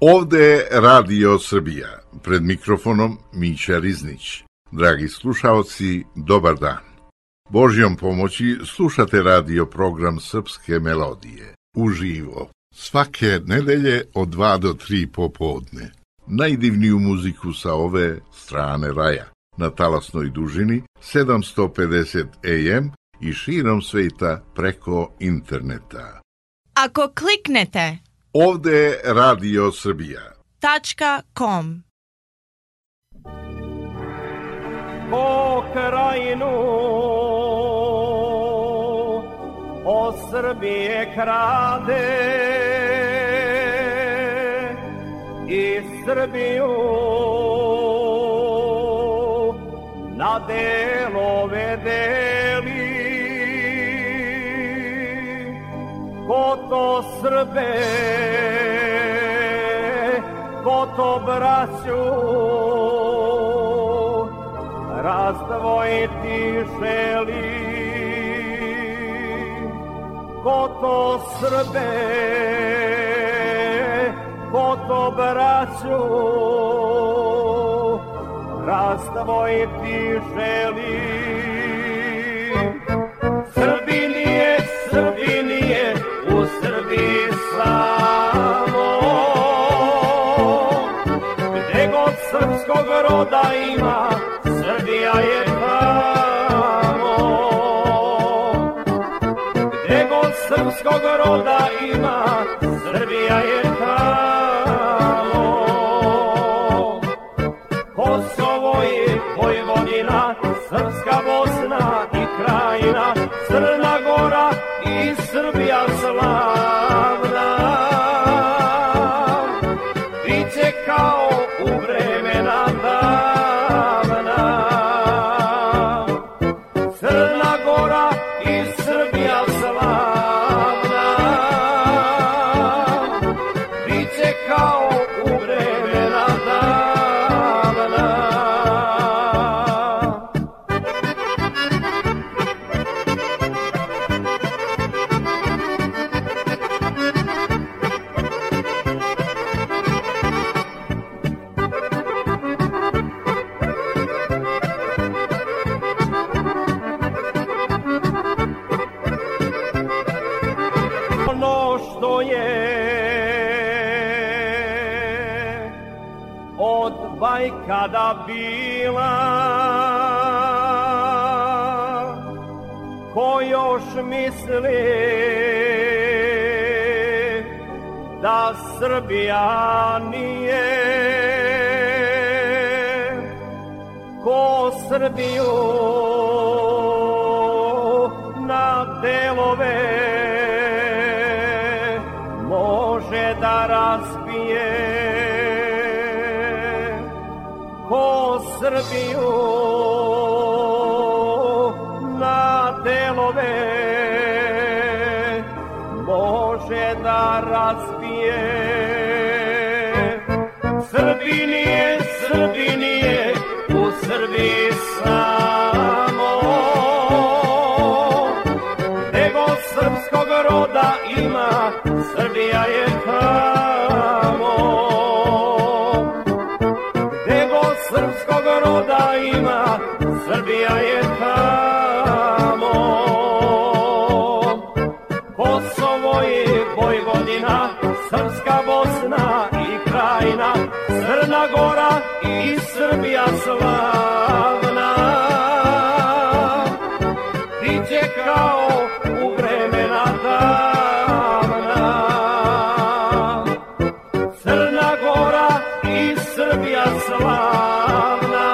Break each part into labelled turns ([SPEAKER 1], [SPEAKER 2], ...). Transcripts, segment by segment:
[SPEAKER 1] Ovde je Radio Srbija, pred mikrofonom Mića Riznić. Dragi slušaoci, dobar dan. Božjom pomoći slušate radio program Srpske melodije, uživo, svake nedelje od 2 do 3 popodne. Najdivniju muziku sa ove strane raja, na talasnoj dužini 750 AM i širom sveta preko interneta.
[SPEAKER 2] Ako kliknete
[SPEAKER 1] Ovde je Radio Srbija.
[SPEAKER 2] .com.
[SPEAKER 3] O krajinu, o Srbije krade i Srbiju na delove deli. Ko to Srbe, ko to braću razdvojiti želi. Ko to Srbe, ko to braću razdvojiti želi. Srbinije, u Srbiji samo, gde god srpskog roda ima, Srbija je tamo. Gde god srpskog roda ima, Srbija je tamo. Kosovo je Vojvodina, Srpska Bosna i Krajina, Crna Gora i Srbija slavna. Biće kao u vremena davna. Crna Gora i Srbija slavna. Biće kao u vremena davna. Kada bila, ko još misli da Srbija nije, ko Srbiju na delove može da razbije. Ko Srbiju na delove može da razbije. Srbinije, u Srbiji samo, ima, Srbija je tamo. Gde god srpskog roda ima, Srbija je tamo. Kosovo je Vojvodina, Srpska Bosna i Krajina, Crna Gora i Srbija slavna. Biće kao u vremena davna. Crna Gora i Srbija slavna.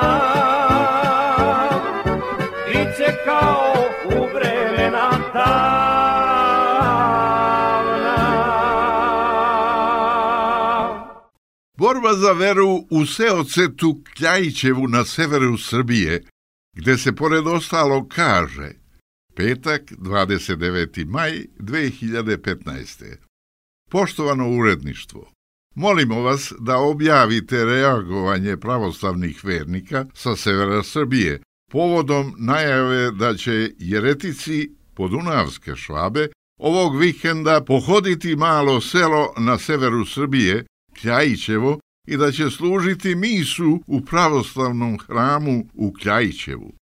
[SPEAKER 3] Biće kao u vremena davna.
[SPEAKER 1] Borba za veru u Seocetu Kljajićevu na severu Srbije, gde se pored ostalog kaže petak 29. maj 2015. Poštovano uredništvo, molimo vas da objavite reagovanje pravoslavnih vernika sa severa Srbije povodom najave da će jeretici podunavske Švabe ovog vikenda pohoditi malo selo na severu Srbije, Kljajićevo, i da će služiti misu u pravoslavnom hramu u Kljajićevu.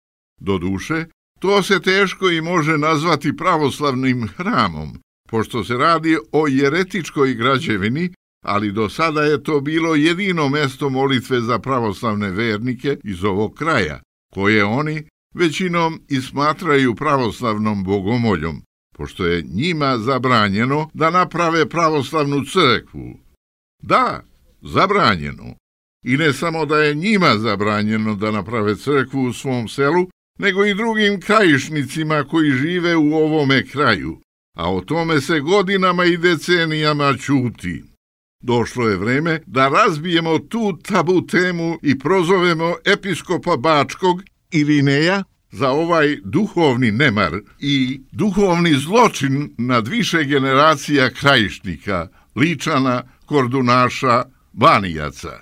[SPEAKER 1] Doduše, to se teško i može nazvati pravoslavnim hramom, pošto se radi o jeretičkoj građevini, ali do sada je to bilo jedino mesto molitve za pravoslavne vernike iz ovog kraja, koje oni većinom i smatraju pravoslavnom bogomoljom, pošto je njima zabranjeno da naprave pravoslavnu crkvu. Da, zabranjeno. I ne samo da je njima zabranjeno da naprave crkvu u svom selu, nego i drugim krajišnicima koji žive u ovome kraju, a o tome se godinama i decenijama ćuti. Došlo je vreme da razbijemo tu tabu temu i prozovemo episkopa Bačkog Irineja za ovaj duhovni nemar i duhovni zločin nad više generacija krajišnika, Ličana, Kordunaša, Banijaca.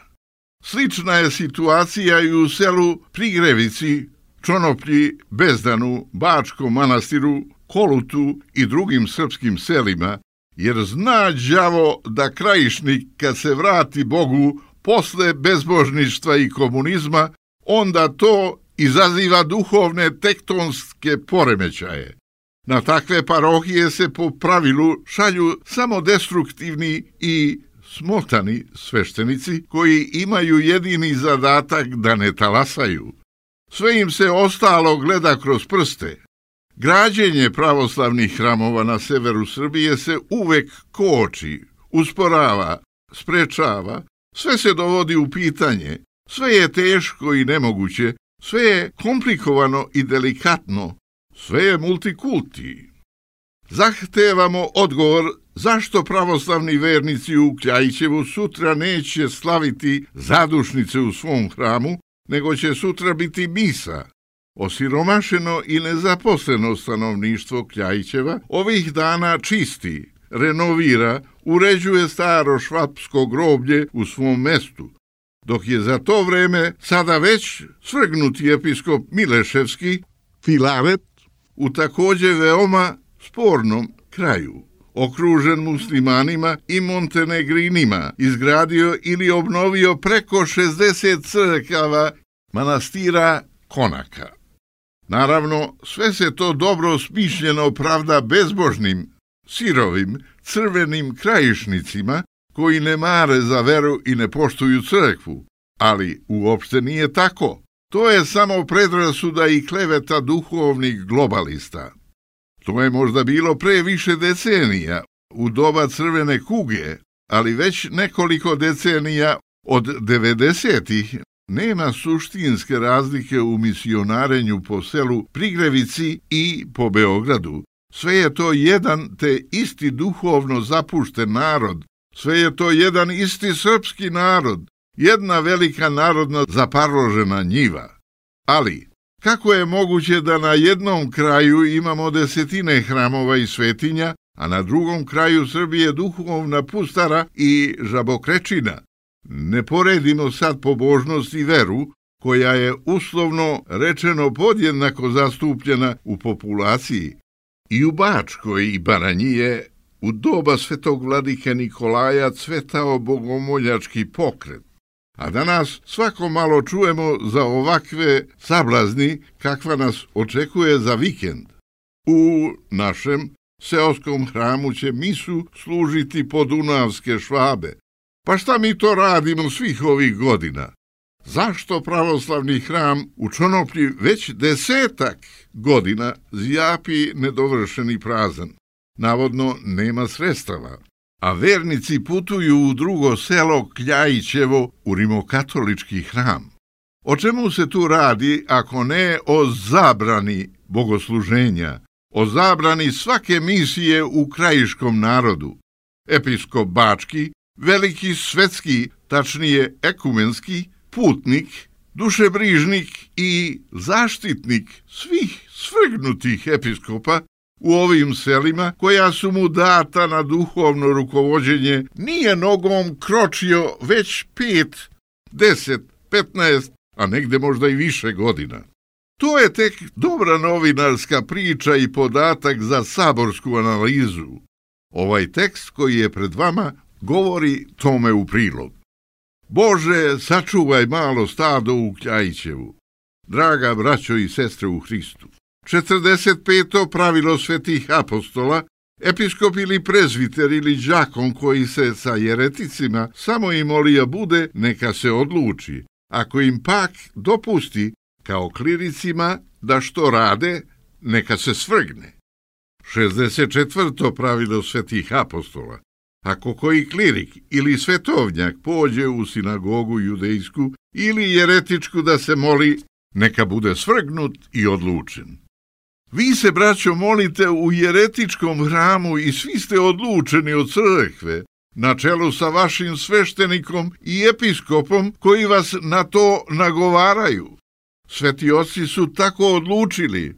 [SPEAKER 1] Slična je situacija i u selu Prigrevici, Čonoplji, Bezdanu, Bačkom Manastiru, Kolutu i drugim srpskim selima, jer zna đavo da krajišnik kad se vrati Bogu posle bezbožništva i komunizma, onda to izaziva duhovne tektonske poremećaje. Na takve parohije se po pravilu šalju samo destruktivni i smotani sveštenici koji imaju jedini zadatak da ne talasaju. Sve im se ostalo gleda kroz prste. Građenje pravoslavnih hramova na severu Srbije se uvek koči, usporava, sprečava, sve se dovodi u pitanje, sve je teško i nemoguće, sve je komplikovano i delikatno, sve je multikulti. Zahtevamo odgovor zašto pravoslavni vernici u Kljajićevu sutra neće slaviti zadušnice u svom hramu, nego će sutra biti misa. Osiromašeno i nezaposleno stanovništvo Kljajićeva ovih dana čisti, renovira, uređuje staro švapsko groblje u svom mestu, dok je za to vreme sada već svrgnuti episkop Mileševski, Filaret, u također veoma spornom kraju, okružen muslimanima i montenegrinima, izgradio ili obnovio preko 60 crkava manastira konaka. Naravno, sve se to dobro smišljeno pravda bezbožnim, sirovim, crvenim krajišnicima koji ne mare za veru i ne poštuju crkvu, ali uopšte nije tako. To je samo predrasuda i kleveta duhovnih globalista. To je možda bilo pre više decenija, u doba crvene kuge, ali već nekoliko decenija od 90-ih nema suštinske razlike u misionarenju po selu Prigrevici i po Beogradu. Sve je to jedan te isti duhovno zapušten narod, sve je to jedan isti srpski narod, jedna velika narodna zaparložena njiva. Ali, kako je moguće da na jednom kraju imamo desetine hramova i svetinja, a na drugom kraju Srbije duhovna pustara i žabokrečina? Ne poredimo sad pobožnost i veru, koja je uslovno rečeno podjednako zastupljena u populaciji. I u Bačkoj i Baranji je u doba svetog vladike Nikolaja cvetao bogomoljački pokret, a danas svako malo čujemo za ovakve sablazni kakva nas očekuje za vikend. U našem seoskom hramu će misu služiti podunavske Švabe. Pa šta mi to radimo svih ovih godina? Zašto pravoslavni hram u Čonoplji već 10 godina zjapi nedovršen i prazan? Navodno nema sredstava, a vernici putuju u drugo selo Kljajićevo u rimokatolički hram. O čemu se tu radi ako ne o zabrani bogosluženja, o zabrani svake misije u krajiškom narodu? Episkop Bački, veliki svetski, tačnije ekumenski, putnik, dušebrižnik i zaštitnik svih svrgnutih episkopa u ovim selima koja su mu data na duhovno rukovođenje, nije nogom kročio već 5, 10, 15, a negde možda i više godina. To je tek dobra novinarska priča i podatak za saborsku analizu. Ovaj tekst koji je pred vama govori tome u prilog. Bože, sačuvaj malo stado u Kljajićevu. Draga braćo i sestre u Hristu, 45. pravilo svetih apostola, episkop ili prezviter ili đakon koji se sa jereticima samo i molija bude, neka se odluči. Ako im pak dopusti, kao kliricima, da što rade, neka se svrgne. 64. pravilo svetih apostola. Ako koji klirik ili svetovnjak pođe u sinagogu judejsku ili jeretičku da se moli, neka bude svrgnut i odlučen. Vi se, braćo, molite u jeretičkom hramu i svi ste odlučeni od crkve, na čelu sa vašim sveštenikom i episkopom koji vas na to nagovaraju. Sveti oci su tako odlučili.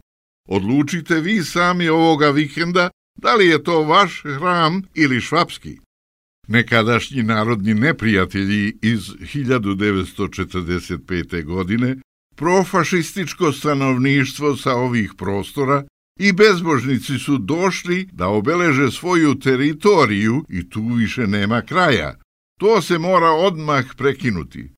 [SPEAKER 1] Odlučite vi sami ovoga vikenda da li je to vaš hram ili švapski. Nekadašnji narodni neprijatelji iz 1945. godine, profašističko stanovništvo sa ovih prostora i bezbožnici su došli da obeleže svoju teritoriju i tu više nema kraja. To se mora odmah prekinuti.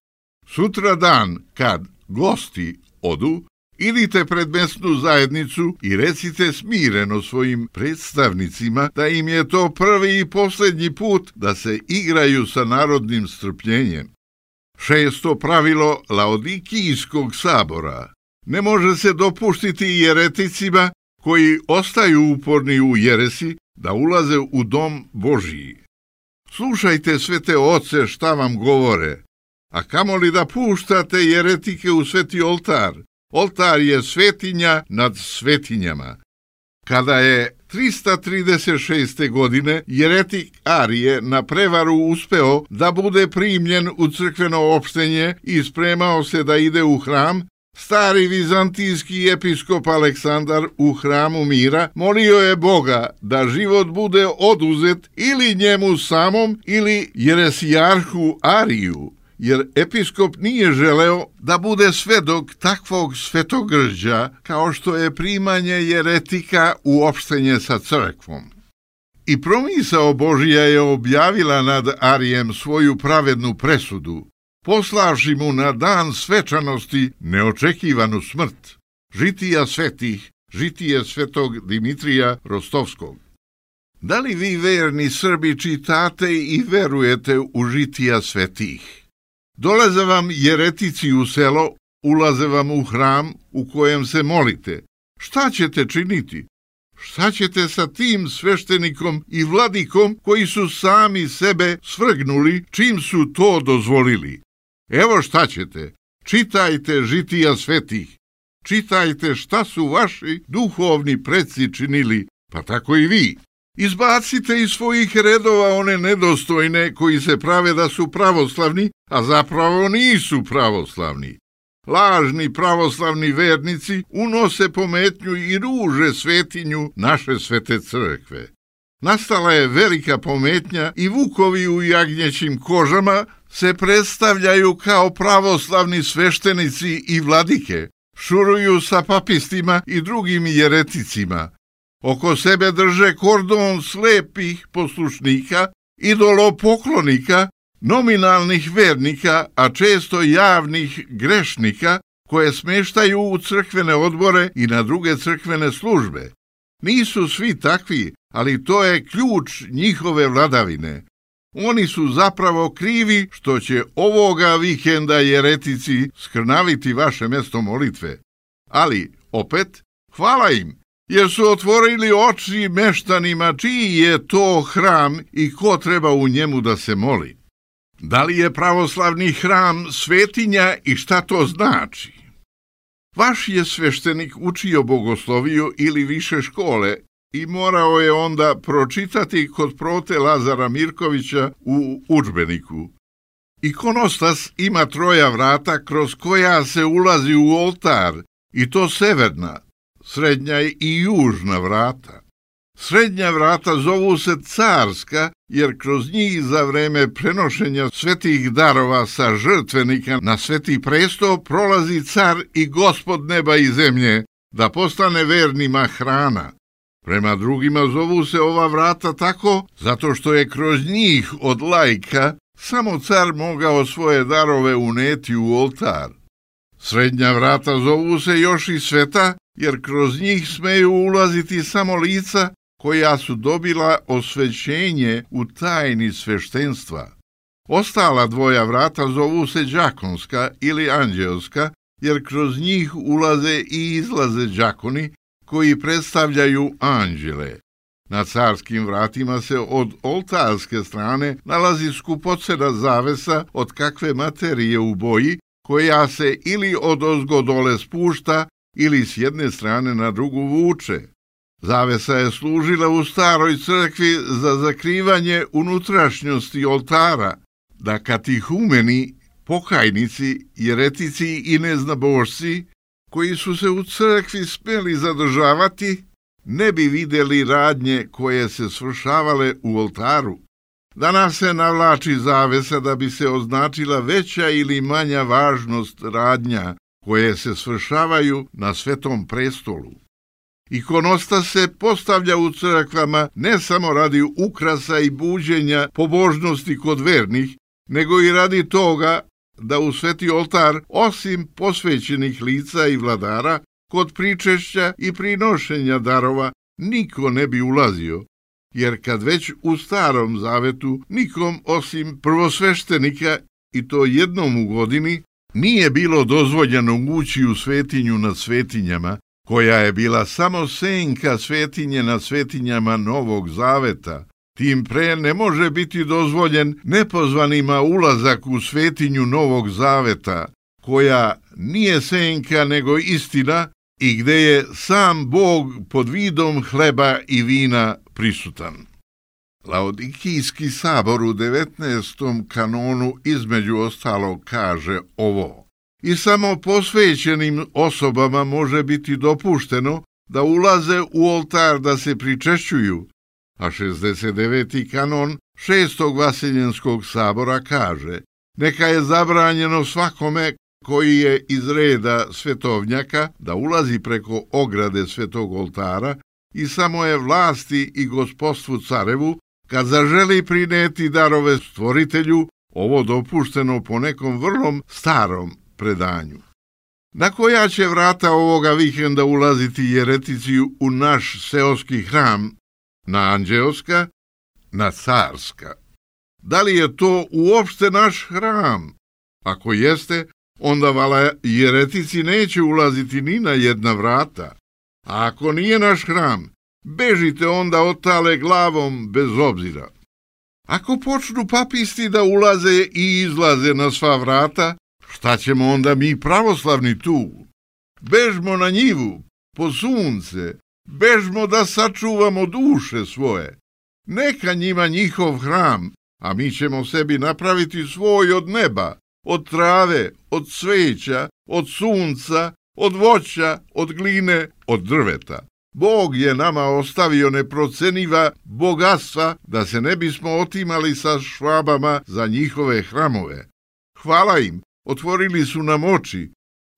[SPEAKER 1] Sutra dan, kad gosti odu, idite pred mesnu zajednicu i recite smireno svojim predstavnicima da im je to prvi i posljednji put da se igraju sa narodnim strpljenjem. 6. pravilo Laodikijskog sabora. Ne može se dopuštiti jereticima koji ostaju uporni u jeresi da ulaze u dom Božiji. Slušajte svete oce šta vam govore, a kamoli da puštate jeretike u sveti oltar. Oltar je svetinja nad svetinjama. Kada je 336. godine jeretik Arije na prevaru uspeo da bude primljen u crkveno opštenje i spremao se da ide u hram, stari vizantijski episkop Aleksandar u hramu mira molio je Boga da život bude oduzet ili njemu samom ili jeresijarhu Ariju, jer episkop nije želeo da bude svedok takvog svetogrđa kao što je primanje jeretika u opštenje sa crkvom. I promisao Božija je objavila nad Arijem svoju pravednu presudu, poslavši mu na dan svečanosti neočekivanu smrt. Žitija svetih, žitije svetog Dimitrija Rostovskog. Da li vi, verni Srbi, čitate i verujete u žitija svetih? Dolaze vam jeretici u selo, ulaze vam u hram u kojem se molite. Šta ćete činiti? Šta ćete sa tim sveštenikom i vladikom koji su sami sebe svrgnuli čim su to dozvolili? Evo šta ćete. Čitajte žitija svetih. Čitajte šta su vaši duhovni preci činili, pa tako i vi. Izbacite iz svojih redova one nedostojne koji se prave da su pravoslavni, a zapravo nisu pravoslavni. Lažni pravoslavni vernici unose pometnju i ruže svetinju naše svete crkve. Nastala je velika pometnja i vukovi u jagnjećim kožama se predstavljaju kao pravoslavni sveštenici i vladike, šuruju sa papistima i drugim jereticima. Oko sebe drže kordon slepih poslušnika, idolopoklonika, nominalnih vernika, a često javnih grešnika, koje smeštaju u crkvene odbore i na druge crkvene službe. Nisu svi takvi, ali to je ključ njihove vladavine. Oni su zapravo krivi što će ovoga vikenda jeretici skrnaviti vaše mesto molitve. Ali, opet, hvala im, jer su otvorili oči meštanima čiji je to hram i ko treba u njemu da se moli. Da li je pravoslavni hram svetinja i šta to znači? Vaš je sveštenik učio bogosloviju ili više škole i morao je onda pročitati kod prote Lazara Mirkovića u udžbeniku. Ikonostas ima 3 vrata kroz koja se ulazi u oltar, i to severna, srednja i južna vrata. Srednja vrata zovu se carska, jer kroz njih za vreme prenošenja svetih darova sa žrtvenika na sveti presto prolazi car i gospod neba i zemlje, da postane vernima hrana. Prema drugima zovu se ova vrata tako, zato što je kroz njih od laika samo car mogao svoje darove uneti u oltar. Srednja vrata zovu se još i sveta, jer kroz njih smeju ulaziti samo lica koja su dobila osvećenje u tajni sveštenstva. Ostala 2 vrata zovu se đakonska ili anđeoska, jer kroz njih ulaze i izlaze đakoni koji predstavljaju anđele. Na carskim vratima se od oltarske strane nalazi skupocena zavesa od kakve materije u boji, koja se ili odozgo dole spušta ili s jedne strane na drugu vuče. Zavesa je služila u staroj crkvi za zakrivanje unutrašnjosti oltara, da katihumeni, pokajnici, jeretici i neznabošci, koji su se u crkvi smeli zadržavati, ne bi vidjeli radnje koje se svršavale u oltaru. Danas se navlači zavesa da bi se označila veća ili manja važnost radnja koje se svršavaju na svetom prestolu. Ikonostas se postavlja u crkvama ne samo radi ukrasa i buđenja pobožnosti kod vernih, nego i radi toga da u sveti oltar, osim posvećenih lica i vladara, kod pričešća i prinošenja darova niko ne bi ulazio, jer kad već u starom zavetu nikom osim prvosveštenika, i to jednom u godini, nije bilo dozvoljeno ući u svetinju nad svetinjama, koja je bila samo senka svetinje nad svetinjama Novog zaveta. Tim pre ne može biti dozvoljen nepozvanima ulazak u svetinju Novog zaveta, koja nije senka nego istina i gde je sam Bog pod vidom hleba i vina prisutan. Laodikijski sabor u 19. kanonu između ostalog kaže ovo: i samo posvećenim osobama može biti dopušteno da ulaze u oltar da se pričešćuju, a 69. kanon 6. vaseljenskog sabora kaže: neka je zabranjeno svakome koji je iz reda svetovnjaka da ulazi preko ograde svetog oltara i samo je vlasti i gospodstvu carevu, kad zaželi prineti darove stvoritelju, ovo dopušteno po nekom vrlo starom predanju. Na koja će vrata ovoga vikenda ulaziti jeretici u naš seoski hram? Na anđeoska? Na carska? Da li je to uopšte naš hram? Ako jeste, onda vala jeretici neće ulaziti ni na jedna vrata. A ako nije naš hram, bežite onda otale glavom bez obzira. Ako počnu papisti da ulaze i izlaze na sva vrata, šta ćemo onda mi pravoslavni tu? Bežmo na njivu, po sunce, bežmo da sačuvamo duše svoje. Neka njima njihov hram, a mi ćemo sebi napraviti svoj od neba, od trave, od cveća, od sunca, od voća, od gline, od drveta. Bog je nama ostavio neproceniva bogatstva da se ne bismo otimali sa švabama za njihove hramove. Hvala im, otvorili su nam oči.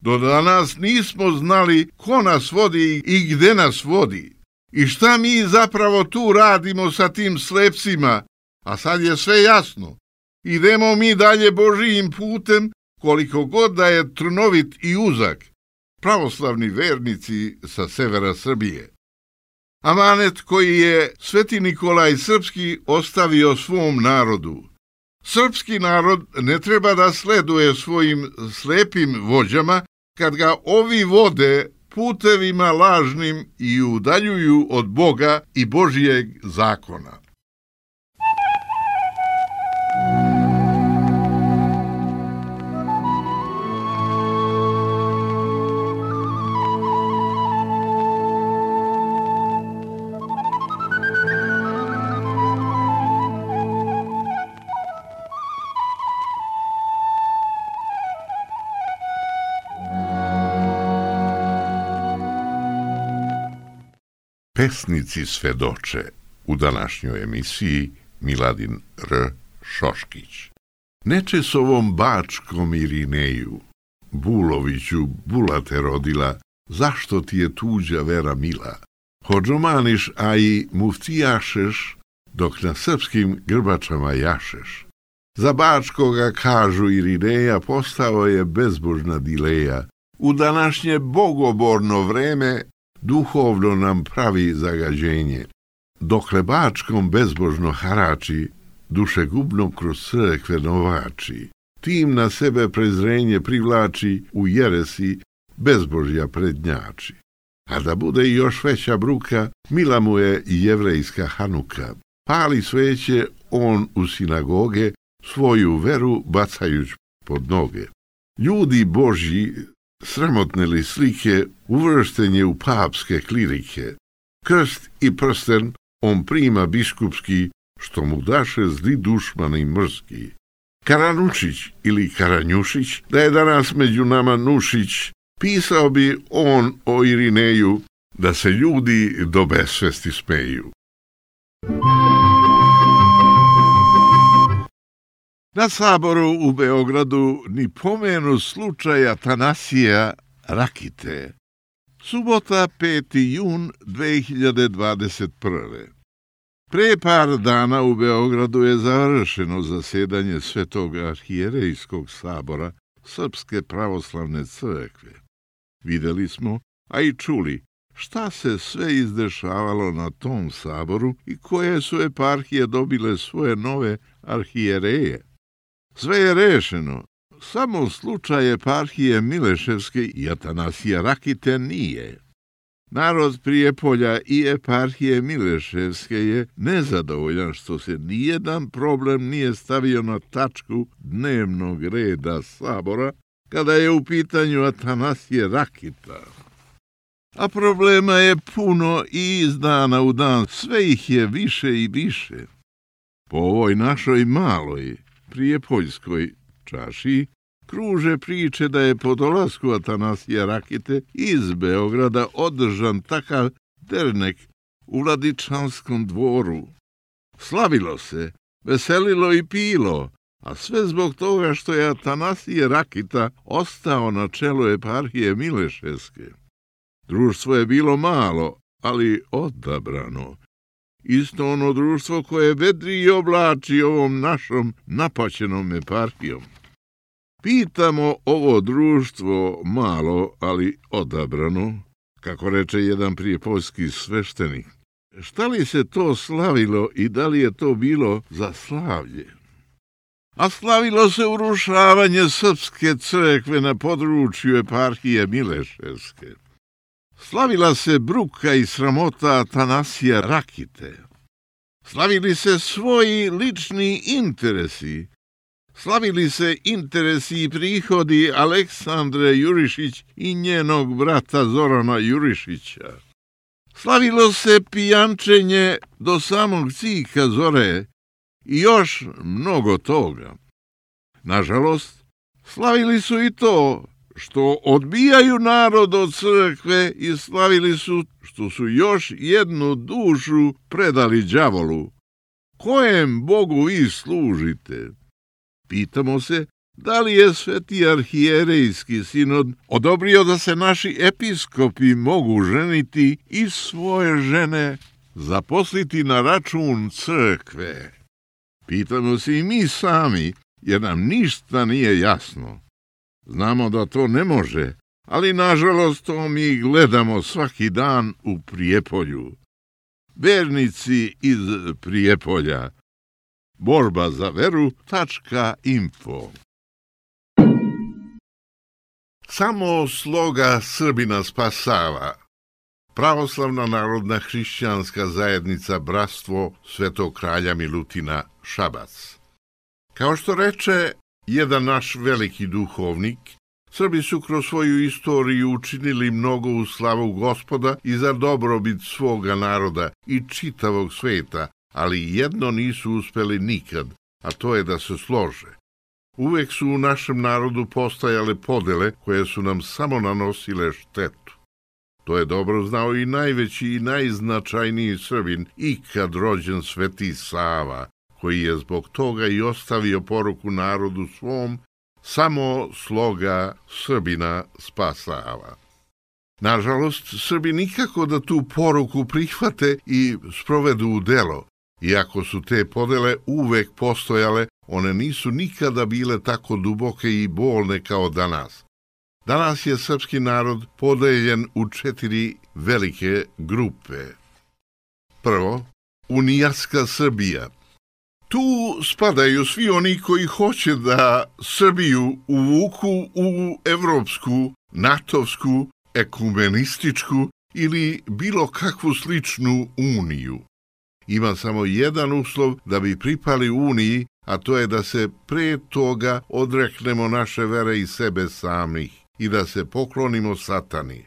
[SPEAKER 1] Do danas nismo znali ko nas vodi i gde nas vodi. I šta mi zapravo tu radimo sa tim slepcima? A sad je sve jasno. Idemo mi dalje Božijim putem, koliko god da je trnovit i uzak. Pravoslavni vernici sa severa Srbije. Amanet koji je Sveti Nikolaj Srpski ostavio svom narodu. Srpski narod ne treba da sleduje svojim slepim vođama kad ga ovi vode putevima lažnim i udaljuju od Boga i Božijeg zakona. Pesnici svedoče u današnjoj emisiji Miladin R. Šoškić. Neče s ovom Bačkom Irineju, Buloviću Bulate rodila, zašto ti je tuđa vera mila? Hodžomaniš, a i muftijašeš, dok na srpskim grbačama jašeš. Za Bačkoga, kažu Irineja, postao je bezbožna dileja. U današnje bogoborno vreme duhovno nam pravi zagađenje. Dokle Bačkom bezbožno harači, dušegubno kroz crkve novači, tim na sebe prezrenje privlači, u jeresi bezbožja prednjači. A da bude još veća bruka, mila mu je i jevrejska Hanuka. Pali sveće on u sinagoge, svoju veru bacajuć pod noge. Ljudi Božji, sramotne li slike, uvršten je u papske klirike. Krst i prsten on prima biskupski, što mu daše zli dušmani mrski. Karanušić ili Karanjušić, da je danas među nama Nušić, pisao bi on o Irineju, da se ljudi do besvesti smeju. Na saboru u Beogradu ni pomenu slučaja Atanasija Rakite. Subota 5. jun 2021. Pre par dana u Beogradu je završeno zasedanje Svetog arhijerejskog sabora Srpske pravoslavne crkve. Videli smo, a i čuli, šta se sve izdešavalo na tom saboru i koje su eparhije dobile svoje nove arhijereje. Sve je rešeno, samo slučaj eparhije Mileševske i Atanasija Rakite nije. Narod Prijepolja i eparhije Mileševske je nezadovoljan što se nijedan problem nije stavio na tačku dnevnog reda sabora kada je u pitanju Atanasije Rakita. A problema je puno i iz dana u dan, sve ih je više i više. Po ovoj našoj maloj prijepoljskoj čaši kruže priče da je po dolasku Atanasija Rakite iz Beograda održan takav dernek u Vladičanskom dvoru. Slavilo se, veselilo i pilo, a sve zbog toga što je Atanasije Rakita ostao na čelu eparhije Mileševske. Društvo je bilo malo, ali odabrano. Isto ono društvo koje vedri i oblači ovom našom napaćenom eparhijom. Pitamo ovo društvo malo, ali odabrano, kako reče jedan prijepoljski sveštenik. Šta li se to slavilo i da li je to bilo za slavlje? A slavilo se urušavanje Srpske crkve na području eparhije Mileševske. Slavila se bruka i sramota Atanasija Rakite. Slavili se svoji lični interesi. Slavili se interesi i prihodi Aleksandre Jurišić i njenog brata Zorana Jurišića. Slavilo se pijančenje do samog cika zore i još mnogo toga. Nažalost, slavili su i to što odbijaju narod od crkve i slavili su što su još jednu dušu predali đavolu. Kojem Bogu vi služite? Pitamo se, Da li je Sveti arhijerejski sinod odobrio da se naši episkopi mogu ženiti i svoje žene zaposliti na račun crkve? Pitamo se i mi sami, jer nam ništa nije jasno. Znamo da to ne može, ali nažalost to mi gledamo svaki dan u Prijepolju. Vernici iz Prijepolja. Borba za veru.info. Samo sloga Srbina spasava. Pravoslavna narodna hrišćanska zajednica Bratstvo Svetog kralja Milutina Šabac. Kao što reče jedan naš veliki duhovnik, Srbi su kroz svoju istoriju učinili mnogo u slavu Gospoda i za dobrobit svoga naroda i čitavog sveta, ali jedno nisu uspeli nikad, a to je da se slože. Uvek su u našem narodu postajale podele koje su nam samo nanosile štetu. To je dobro znao i najveći i najznačajniji Srbin ikad rođen Sveti Sava, koji je zbog toga i ostavio poruku narodu svom: samo sloga Srbina spasava. Nažalost, Srbi nikako da tu poruku prihvate i sprovedu u delo. Iako su te podele uvek postojale, one nisu nikada bile tako duboke i bolne kao danas. Danas je srpski narod podeljen u 4 velike grupe. Prvo, unijatska Srbija. Tu spadaju svi oni koji hoće da Srbiju uvuku u evropsku, natovsku, ekumenističku ili bilo kakvu sličnu uniju. Ima samo jedan uslov da bi pripali uniji, a to je da se pre toga odreknemo naše vere i sebe samih i da se poklonimo satani.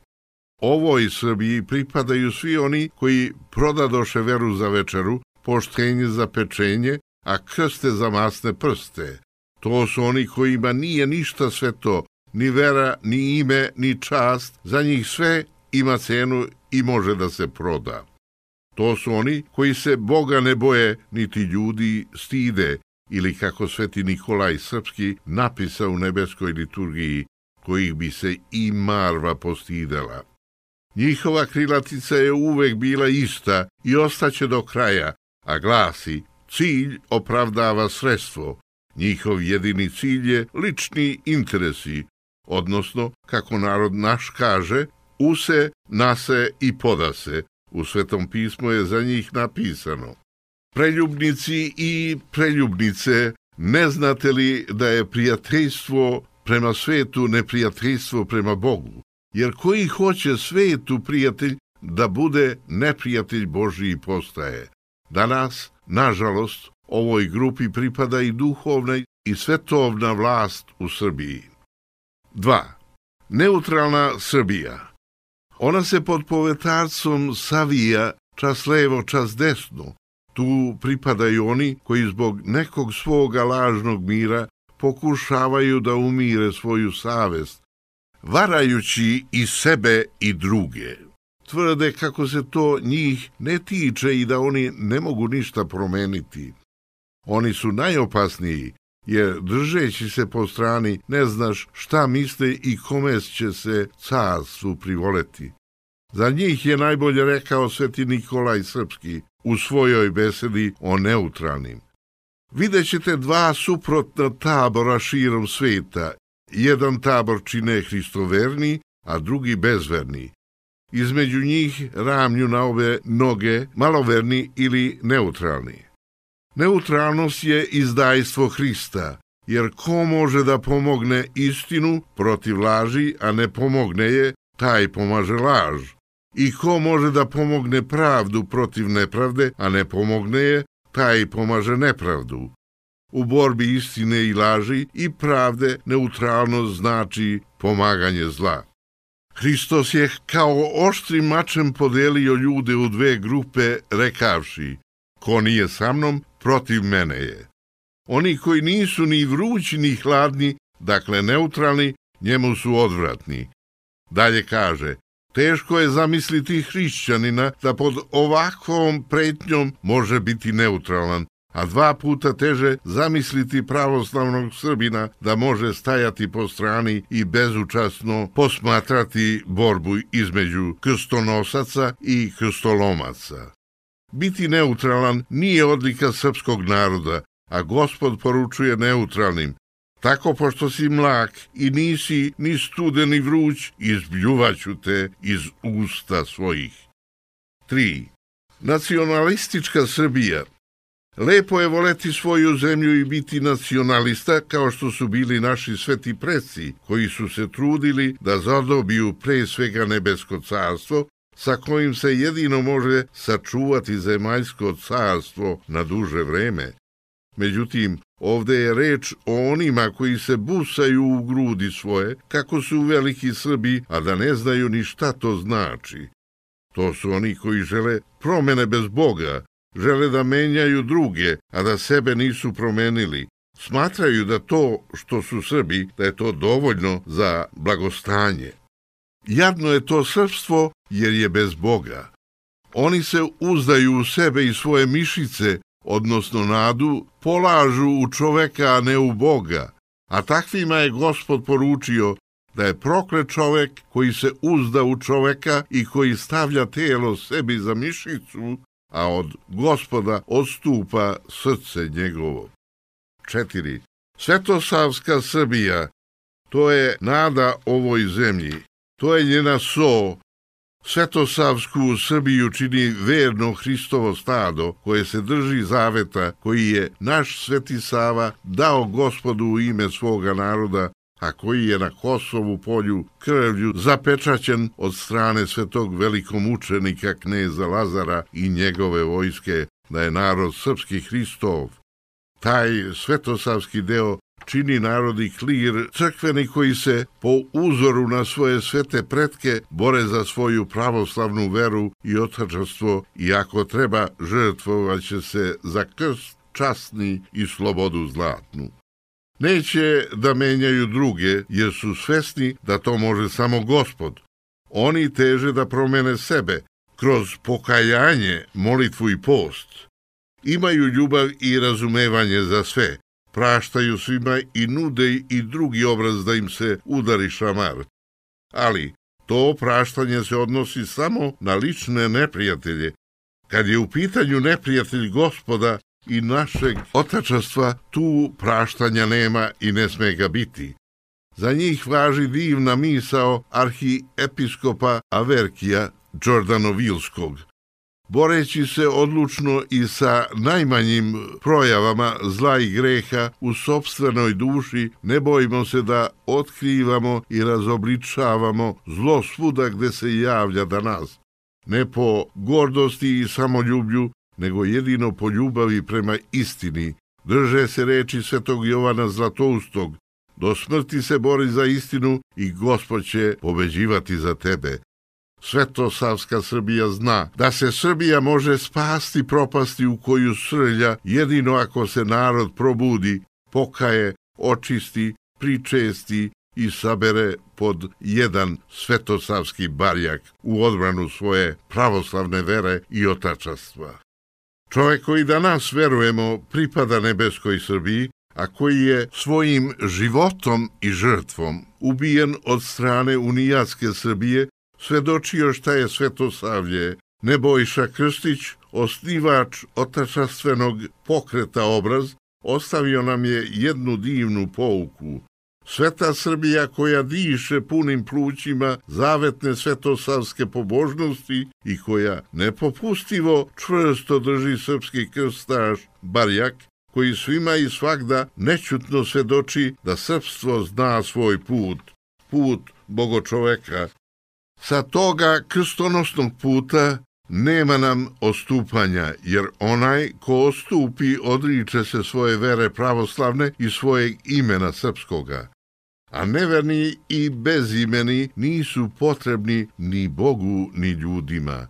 [SPEAKER 1] Ovoj Srbiji pripadaju svi oni koji prodadoše veru za večeru, poštenje za pečenje, a krste za masne prste. To su oni kojima nije ništa sve to, ni vera, ni ime, ni čast, za njih sve ima cenu i može da se proda. To su oni koji se Boga ne boje, niti ljudi stide, ili kako Sveti Nikolaj Srpski napisa u nebeskoj liturgiji, kojih bi se i Marva postidela. Njihova krilatica je uvek bila ista i ostaće do kraja, a glasi: cilj opravdava sredstvo. Njihov jedini cilj je lični interesi, odnosno, kako narod naš kaže, use, nase i podase. U Svetom pismu je za njih napisano: preljubnici i preljubnice, ne znate li da je prijateljstvo prema svetu neprijateljstvo prema Bogu? Jer koji hoće svetu prijatelj da bude neprijatelj Božiji postaje. Danas, nažalost, ovoj grupi pripada i duhovna i svetovna vlast u Srbiji. 2. Neutralna Srbija. Ona se pod povetarcom savija čas levo, čas desno. Tu pripadaju oni koji zbog nekog svoga lažnog mira pokušavaju da umire svoju savest, varajući i sebe i druge. Tvrde kako se to njih ne tiče i da oni ne mogu ništa promeniti. Oni su najopasniji, jer držeći se po strani ne znaš šta misle i kome će se carstvu privoleti. Za njih je najbolje rekao Sveti Nikolaj Srpski u svojoj besedi o neutralnim. Vidjet ćete 2 suprotna tabora širom sveta. Jedan tabor čine hristoverni, a drugi bezverni. Između njih ramlju na obe noge maloverni ili neutralni. Neutralnost je izdajstvo Hrista, jer ko može da pomogne istinu protiv laži, a ne pomogne je, taj pomaže laž. I ko može da pomogne pravdu protiv nepravde, a ne pomogne je, taj pomaže nepravdu. U borbi istine i laži i pravde neutralnost znači pomaganje zla. Hristos je kao oštrim mačem podelio ljude u 2 grupe, rekavši: ko nije sa mnom, protiv mene je. Oni koji nisu ni vrući ni hladni, dakle neutralni, njemu su odvratni. Dalje kaže: teško je zamisliti hrišćanina da pod ovakvom pretnjom može biti neutralan, a 2 puta teže zamisliti pravoslavnog Srbina da može stajati po strani i bezučasno posmatrati borbu između krstonosaca i krstolomaca. Biti neutralan nije odlika srpskog naroda, a Gospod poručuje neutralnim: tako pošto si mlak i nisi ni studen ni vruć, izbljuvaću te iz usta svojih. 3. Nacionalistička Srbija. Lepo je voleti svoju zemlju i biti nacionalista, kao što su bili naši sveti preci, koji su se trudili da zadobiju pre svega nebesko carstvo, sa kojim se jedino može sačuvati zemaljsko carstvo na duže vreme. Međutim, ovde je reč o onima koji se busaju u grudi svoje, kako su veliki Srbi, a da ne znaju ni šta to znači. To su oni koji žele promene bez Boga, žele da menjaju druge, a da sebe nisu promenili. Smatraju da to što su Srbi, da je to dovoljno za blagostanje. Jadno je to srpstvo jer je bez Boga. Oni se uzdaju u sebe i svoje mišice, odnosno nadu, polažu u čoveka, a ne u Boga. A takvima je Gospod poručio da je proklet čovek koji se uzda u čoveka i koji stavlja telo sebi za mišicu, a od Gospoda odstupa srce njegovo. 4. Svetosavska Srbija, to je nada ovoj zemlji, to je njena so. Svetosavsku Srbiju čini verno Hristovo stado koje se drži zaveta koji je naš Sveti Sava dao Gospodu u ime svoga naroda, a koji je na Kosovu polju krvlju zapečaćen od strane svetog velikomučenika kneza Lazara i njegove vojske, da je narod srpski Hristov. Taj svetosavski deo čini narodi klir crkveni koji se po uzoru na svoje svete pretke bore za svoju pravoslavnu veru i otačanstvo i ako treba žrtvovaće se za krst časni i slobodu zlatnu. Neće da menjaju druge jer su svesni da to može samo Gospod. Oni teže da promene sebe kroz pokajanje, molitvu i post. Imaju ljubav i razumevanje za sve. Praštaju svima i nude i drugi obraz da im se udari šamar. Ali to praštanje se odnosi samo na lične neprijatelje. Kad je u pitanju neprijatelj Gospoda i našeg otačanstva, tu praštanja nema i ne sme ga biti. Za njih važi divna misao arhiepiskopa Averkija Đordanovilskog. Boreći se odlučno i sa najmanjim projavama zla i greha u sopstvenoj duši, ne bojimo se da otkrivamo i razobličavamo zlo svuda gde se javlja danas. Ne po gordosti i samoljublju, nego jedino po ljubavi prema istini. Drže se reči svetog Jovana Zlatoustog: do smrti se bori za istinu i Gospod će pobeđivati za tebe. Svetosavska Srbija zna da se Srbija može spasti propasti u koju srlja jedino ako se narod probudi, pokaje, očisti, pričesti i sabere pod jedan svetosavski barjak u odbranu svoje pravoslavne vere i otačanstva. Čovek koji danas verujemo pripada nebeskoj Srbiji, a koji je svojim životom i žrtvom ubijen od strane unijatske Srbije, svedočio šta je Svetosavlje. Nebojša Krstić, osnivač otačanstvenog pokreta Obraz, ostavio nam je jednu divnu pouku. Sveta Srbija koja diše punim plućima zavetne svetosavske pobožnosti i koja nepopustivo čvrsto drži srpski krstaš barjak, koji svima i svagda nećutno svedoči da srpstvo zna svoj put, put bogočoveka. Sa toga krstonosnog puta nema nam odstupanja, jer onaj ko odstupi odriče se svoje vere pravoslavne i svojeg imena srpskoga. A neverni i bezimeni nisu potrebni ni Bogu ni ljudima.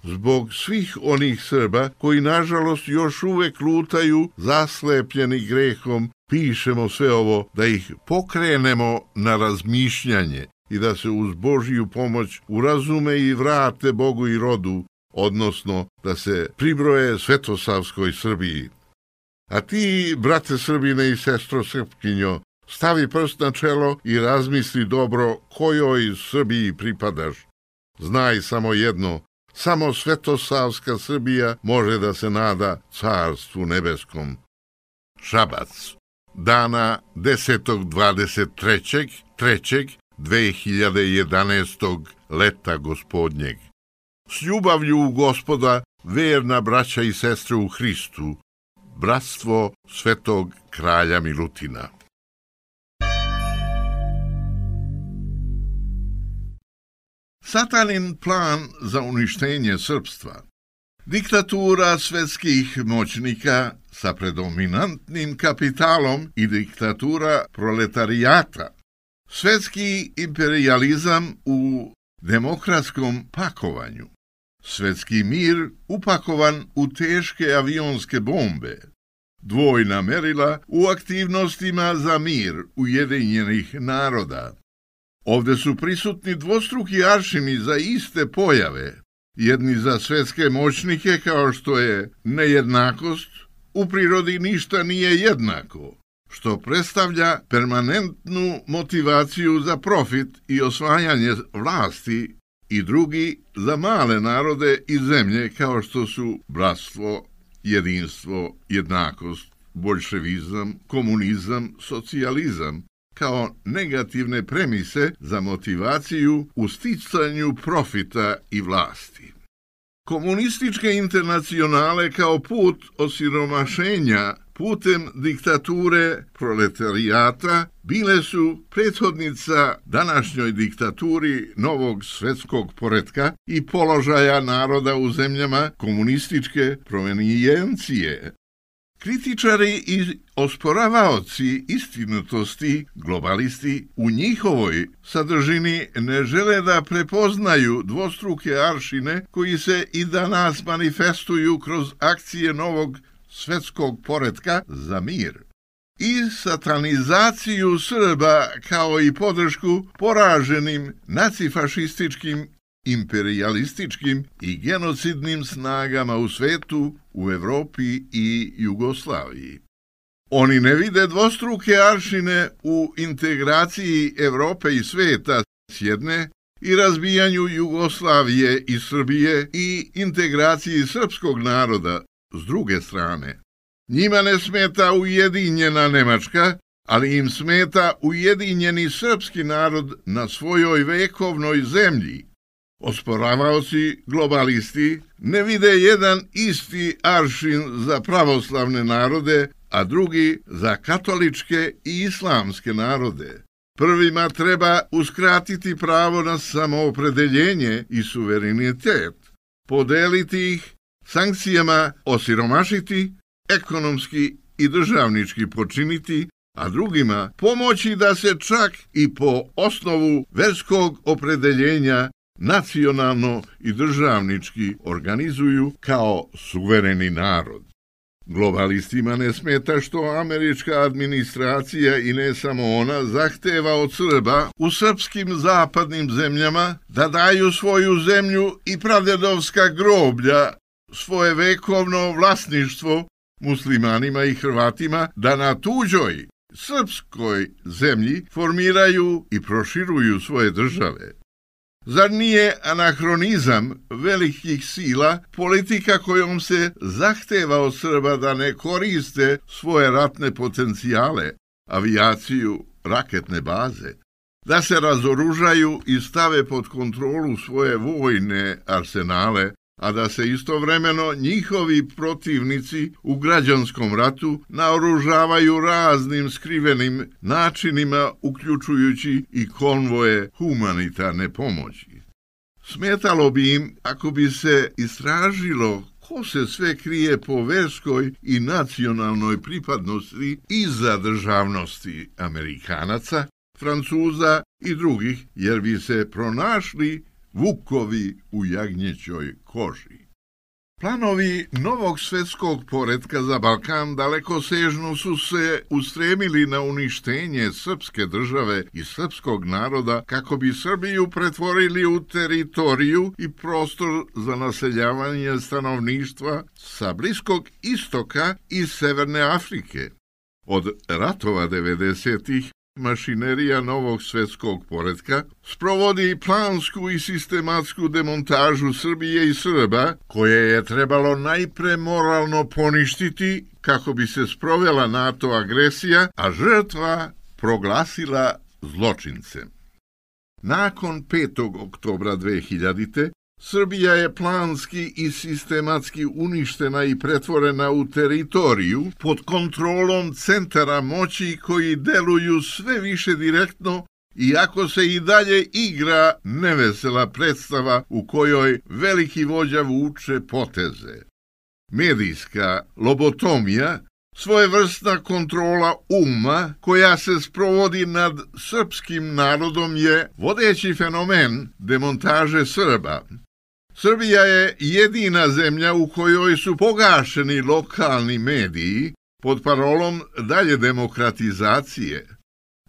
[SPEAKER 1] Zbog svih onih Srba koji nažalost još uvek lutaju zaslepljeni grehom, pišemo sve ovo da ih pokrenemo na razmišljanje i da se uz Božju pomoć urazume i vrate Bogu i rodu, odnosno da se pribroje Svetosavskoj Srbiji. A ti, brate Srbine i sestro Srpkinjo, stavi prst na čelo i razmisli dobro kojoj Srbiji pripadaš. Znaj samo jedno, samo svetosavska Srbija može da se nada carstvu nebeskom. Šabac, dana 10.23.3.2011. leta gospodnjeg. S ljubavlju u Gospoda, verna braća i sestre u Hristu, bratstvo Svetog kralja Milutina. Satanin plan za uništenje srpstva. Diktatura svetskih moćnika sa predominantnim kapitalom i diktatura proletarijata. Svetski imperijalizam u demokratskom pakovanju. Svetski mir upakovan u teške avionske bombe. Dvojna merila u aktivnostima za mir Ujedinjenih naroda. Ovde su prisutni dvostruki aršini za iste pojave, jedni za svetske moćnike kao što je nejednakost, u prirodi ništa nije jednako, što predstavlja permanentnu motivaciju za profit i osvajanje vlasti, i drugi za male narode i zemlje kao što su bratstvo, jedinstvo, jednakost, boljševizam, komunizam, socijalizam, kao negativne premise za motivaciju u sticanju profita i vlasti. Komunističke internacionale kao put osiromašenja putem diktature proletarijata bile su prethodnica današnjoj diktaturi novog svetskog poretka i položaja naroda u zemljama komunističke provenijencije. Kritičari i osporavaoci istinitosti, globalisti, u njihovoj sadržini ne žele da prepoznaju dvostruke aršine koji se i danas manifestuju kroz akcije novog svetskog poretka za mir i satanizaciju Srba kao i podršku poraženim nacifašističkim, imperijalističkim i genocidnim snagama u svetu, u Evropi i Jugoslaviji. Oni ne vide dvostruke aršine u integraciji Evrope i sveta s jedne i razbijanju Jugoslavije i Srbije i integraciji srpskog naroda s druge strane. Njima ne smeta ujedinjena Nemačka, ali im smeta ujedinjeni srpski narod na svojoj vekovnoj zemlji. Osporavaoci globalisti ne vide jedan isti aršin za pravoslavne narode, a drugi za katoličke i islamske narode. Prvima treba uskratiti pravo na samoopredeljenje i suverenitet, podeliti ih, sankcijama osiromašiti, ekonomski i državnički počiniti, a drugima pomoći da se čak i po osnovu verskog opredeljenja nacionalno i državnički organizuju kao suvereni narod. Globalistima ne smeta što američka administracija i ne samo ona zahteva od Srba u srpskim zapadnim zemljama da daju svoju zemlju i pradedovska groblja, svoje vekovno vlasništvo muslimanima i Hrvatima, da na tuđoj srpskoj zemlji formiraju i proširuju svoje države. Zar nije anahronizam velikih sila politika kojom se zahteva od Srba da ne koriste svoje ratne potencijale, avijaciju, raketne baze, da se razoružaju i stave pod kontrolu svoje vojne arsenale, a da se istovremeno njihovi protivnici u građanskom ratu naoružavaju raznim skrivenim načinima, uključujući i konvoje humanitarne pomoći. Smetalo bi im ako bi se istražilo ko se sve krije po verskoj i nacionalnoj pripadnosti iza državnosti Amerikanaca, Francuza i drugih, jer bi se pronašli vukovi u jagnjećoj koži. Planovi novog svetskog poretka za Balkan dalekosežno su se ustremili na uništenje srpske države i srpskog naroda kako bi Srbiju pretvorili u teritoriju i prostor za naseljavanje stanovništva sa Bliskog istoka i Severne Afrike. Od ratova 90-ih mašinerija novog svetskog poretka sprovodi plansku i sistematsku demontažu Srbije i Srba, koje je trebalo najpre moralno poništiti kako bi se sprovela NATO agresija, a žrtva proglasila zločincem. Nakon 5. oktobra 2000. Srbija je planski i sistematski uništena i pretvorena u teritoriju pod kontrolom centara moći koji deluju sve više direktno, iako se i dalje igra nevesela predstava u kojoj veliki vođa vuče poteze. Medijska lobotomija, svojevrsna kontrola uma koja se sprovodi nad srpskim narodom, je vodeći fenomen demontaže Srba. Srbija je jedina zemlja u kojoj su pogašeni lokalni mediji pod parolom dalje demokratizacije.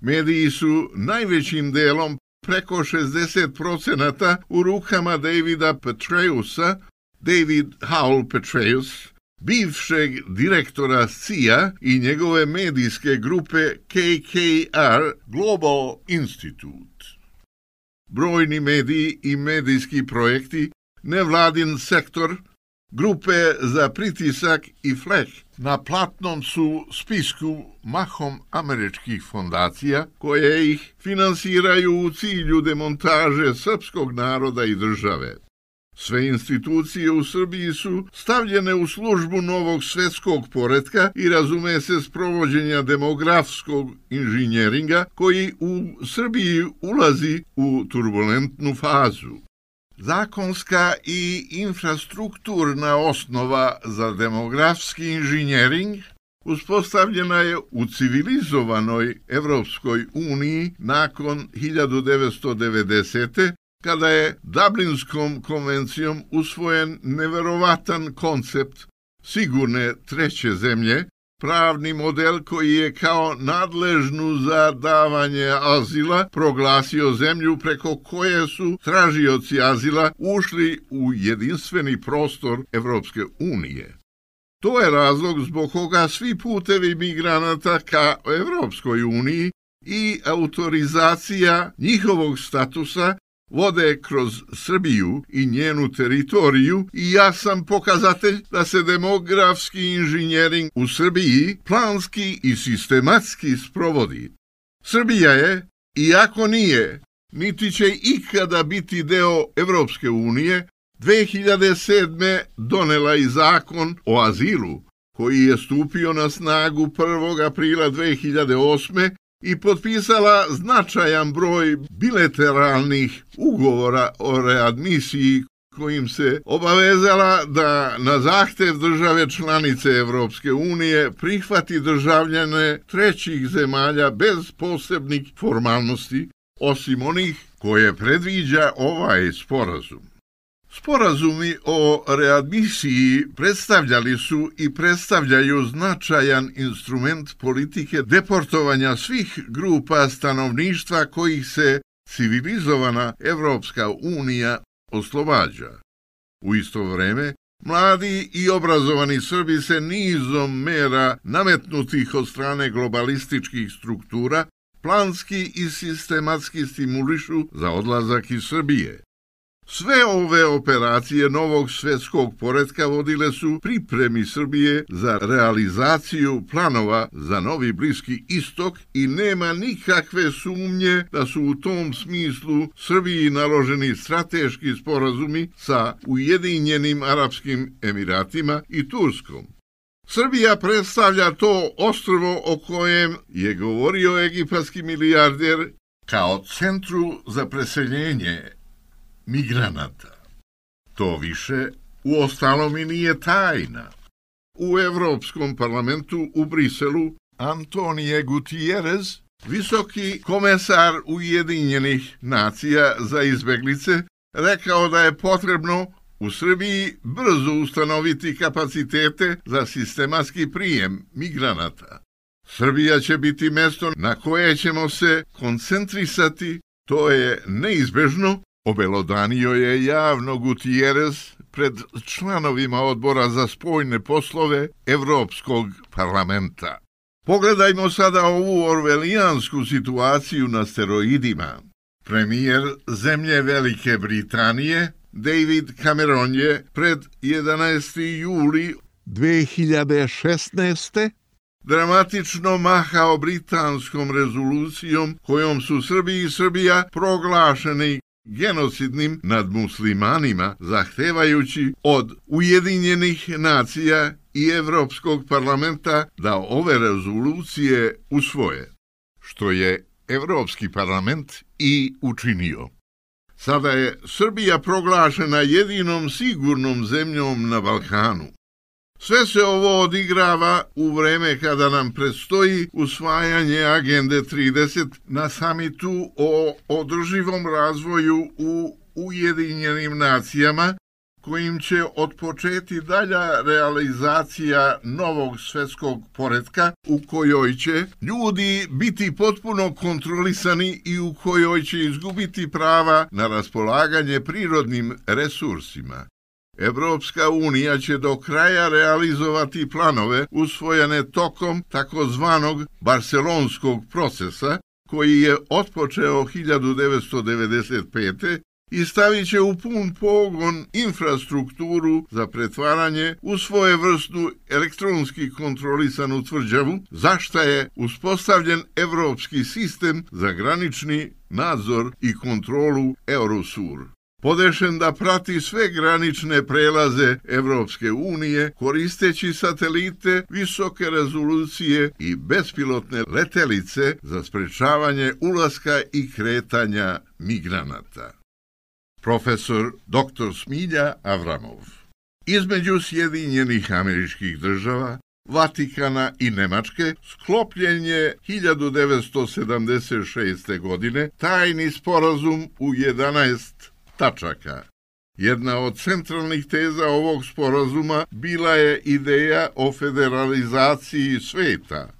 [SPEAKER 1] Mediji su najvećim delom, preko 60%, u rukama Davida Petreusa, David Howell Petraeus, bivšeg direktora CIA i njegove medijske grupe KKR Global Institute. Brojni mediji i medijski projekti, nevladin sektor, grupe za pritisak i flek na platnom su spisku mahom američkih fondacija koje ih finansiraju u cilju demontaže srpskog naroda i države. Sve institucije u Srbiji su stavljene u službu novog svetskog poretka i razume se sprovođenja demografskog inženjeringa koji u Srbiji ulazi u turbulentnu fazu. Zakonska i infrastrukturna osnova za demografski inženjering uspostavljena je u civilizovanoj Evropskoj uniji nakon 1990. kada je Dublinskom konvencijom usvojen neverovatan koncept sigurne treće zemlje, pravni model koji je kao nadležnu za davanje azila proglasio zemlju preko koje su tražioci azila ušli u jedinstveni prostor Evropske unije. To je razlog zbog koga svi putevi migranata ka Evropskoj uniji i autorizacija njihovog statusa vode kroz Srbiju i njenu teritoriju i jasan pokazatelj da se demografski inženjering u Srbiji planski i sistematski sprovodi. Srbija je, iako nije, niti će ikada biti deo Evropske unije, 2007. donela i zakon o azilu, koji je stupio na snagu 1. aprila 2008. i potpisala značajan broj bilateralnih ugovora o readmisiji kojim se obavezala da na zahtev države članice Evropske unije prihvati državljane trećih zemalja bez posebnih formalnosti, osim onih koje predviđa ovaj sporazum. Sporazumi o readmisiji predstavljali su i predstavljaju značajan instrument politike deportovanja svih grupa stanovništva kojih se civilizovana Evropska unija oslobađa. U isto vreme, mladi i obrazovani Srbi se nizom mera nametnutih od strane globalističkih struktura planski i sistematski stimulišu za odlazak iz Srbije. Sve ove operacije novog svetskog poretka vodile su pripremi Srbije za realizaciju planova za novi Bliski istok i nema nikakve sumnje da su u tom smislu Srbiji naloženi strateški sporazumi sa Ujedinjenim Arapskim Emiratima i Turskom. Srbija predstavlja to ostrvo o kojem je govorio egipatski milijarder kao centru za preseljenje migranata. To više uostalom i nije tajna. U Evropskom parlamentu u Briselu Antonio Gutierrez, visoki komesar Ujedinjenih nacija za izbeglice, rekao da je potrebno u Srbiji brzo ustanoviti kapacitete za sistematski prijem migranata. Srbija će biti mesto na koje ćemo se koncentrisati, to je neizbežno, obelodanio je javno Gutierrez pred članovima odbora za spoljne poslove Evropskog parlamenta. Pogledajmo sada ovu orvelijansku situaciju na steroidima. Premijer zemlje Velike Britanije, David Cameron, je pred 11. juli 2016. dramatično mahao britanskom rezolucijom kojom su Srbi i Srbija proglašeni genocidnim nad muslimanima, zahtevajući od Ujedinjenih nacija i Evropskog parlamenta da ove rezolucije usvoje, što je Evropski parlament i učinio. Sada je Srbija proglašena jedinom sigurnom zemljom na Balkanu. Sve se ovo odigrava u vreme kada nam predstoji usvajanje Agende 30 na samitu o održivom razvoju u Ujedinjenim nacijama, kojim će otpočeti dalja realizacija novog svetskog poretka u kojoj će ljudi biti potpuno kontrolisani i u kojoj će izgubiti prava na raspolaganje prirodnim resursima. Evropska unija će do kraja realizovati planove usvojene tokom takozvanog barcelonskog procesa, koji je otpočeo 1995. i stavit će u pun pogon infrastrukturu za pretvaranje u svojevrsnu elektronski kontrolisanu tvrđavu, za šta je uspostavljen evropski sistem za granični nadzor i kontrolu Eurosur, podešen da prati sve granične prelaze Evropske unije koristeći satelite visoke rezolucije i bespilotne letelice za sprečavanje ulaska i kretanja migranata. Profesor dr. Smilja Avramov. Između Sjedinjenih Američkih Država, Vatikana i Nemačke sklopljen je 1976. godine tajni sporazum u 11 tačaka. Jedna od centralnih teza ovog sporazuma bila je ideja o federalizaciji sveta.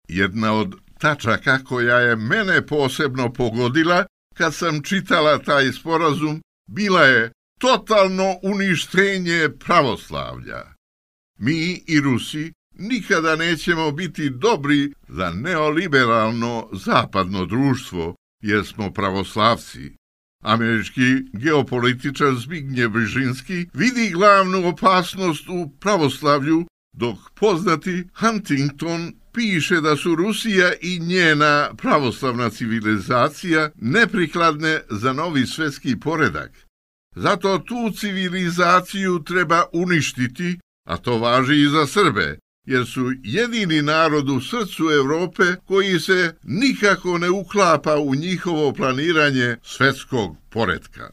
[SPEAKER 1] Jedna od tačaka koja je mene posebno pogodila kad sam čitala taj sporazum bila je totalno uništenje pravoslavlja. Mi i Rusi nikada nećemo biti dobri za neoliberalno zapadno društvo, jer smo pravoslavci. Američki geopolitičar Zbigniew Brzezinski vidi glavnu opasnost u pravoslavlju, dok poznati Huntington piše da su Rusija i njena pravoslavna civilizacija neprikladne za novi svjetski poredak. Zato tu civilizaciju treba uništiti, a to važi i za Srbe, jer su jedini narod u srcu Evrope koji se nikako ne uklapa u njihovo planiranje svjetskog poretka.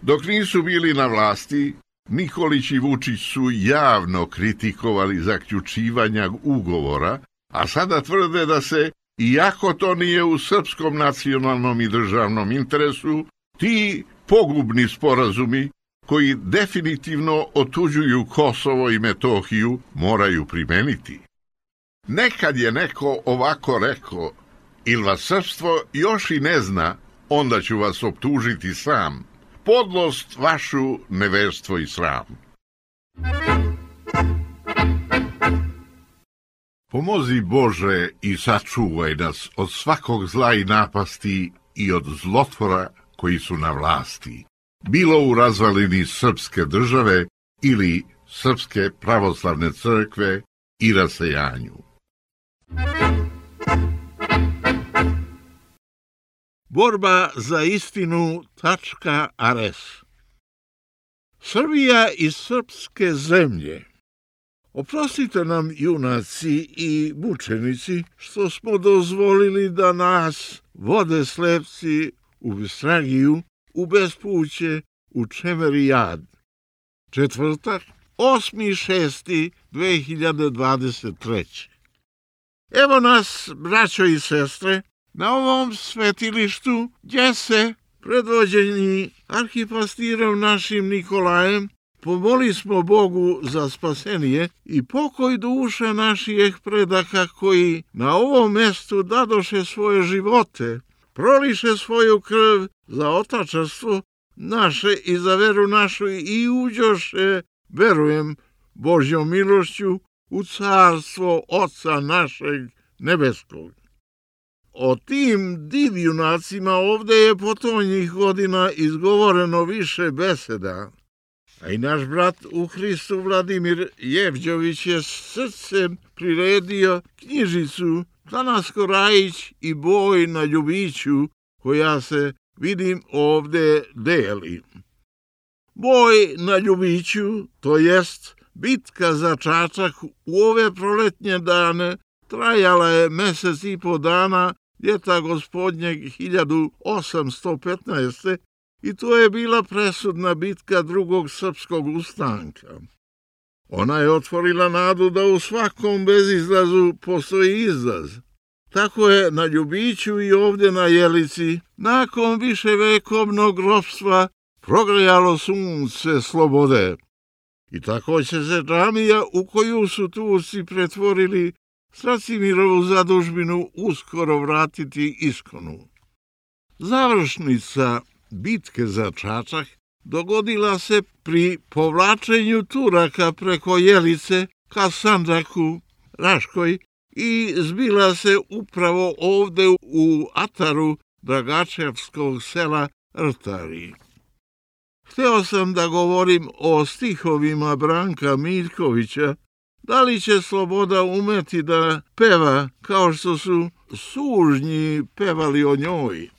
[SPEAKER 1] Dok nisu bili na vlasti, Nikolić i Vučić su javno kritikovali zaključivanja ugovora, a sada tvrde da se, iako to nije u srpskom nacionalnom i državnom interesu, ti pogubni sporazumi koji definitivno otuđuju Kosovo i Metohiju moraju primeniti. Nekad je neko ovako rekao, ili vas srpstvo još i ne zna, onda ću vas optužiti sam. Podlost vašu, neverstvo i sram. Pomozi Bože i sačuvaj nas od svakog zla i napasti i od zlotvora koji su na vlasti, bilo u razvalini srpske države ili Srpske pravoslavne crkve i rasejanju. Borba za istinu.rs. Srbija i srpske zemlje. Oprostite nam, junaci i mučenici, što smo dozvolili da nas vode slepci u Bestragiju, u bespuće, u Čemerijad. Četvrtak, 8.6.2023. Evo nas, braćo i sestre, na ovom svetilištu gdje se
[SPEAKER 4] predvođeni arhipastirom našim Nikolajem, pomoli smo Bogu za spasenje i pokoj duša naših predaka koji na ovom mestu dadoše svoje živote, proliše svoju krv za otačarstvo naše i za veru našu i uđoše, verujem, Božjom milošću u carstvo Oca našeg nebeskog. O tim divjunacima ovde je potonjih godina izgovoreno više beseda, a i naš brat u Hristu Vladimir Jevđović je srcem priredio knjižicu Tanasko Rajić i boj na Ljubiću, koja se, vidim, ovde deli. Boj na Ljubiću, to jest bitka za Čačak u ove proletnje dane, trajala je mesec i po dana ljeta gospodnjeg 1815. i to je bila presudna bitka drugog srpskog ustanka. Ona je otvorila nadu da u svakom bezizlazu postoji izlaz. Tako je na Ljubiću i ovdje na Jelici, nakon viševekovnog ropstva, progrejalo sunce slobode. I tako će se džamija u koju su Turci pretvorili Stracimirovu zadužbinu uskoro vratiti iskonu. Završnica bitke za Čačak dogodila se pri povlačenju Turaka preko Jelice ka Sandžaku, Raškoj i zbila se upravo ovde u ataru Dragačevskog sela Rtari. Hteo sam da govorim o stihovima Branka Miljkovića, da li će sloboda umeti da peva kao što su sužnji pevali o njoj.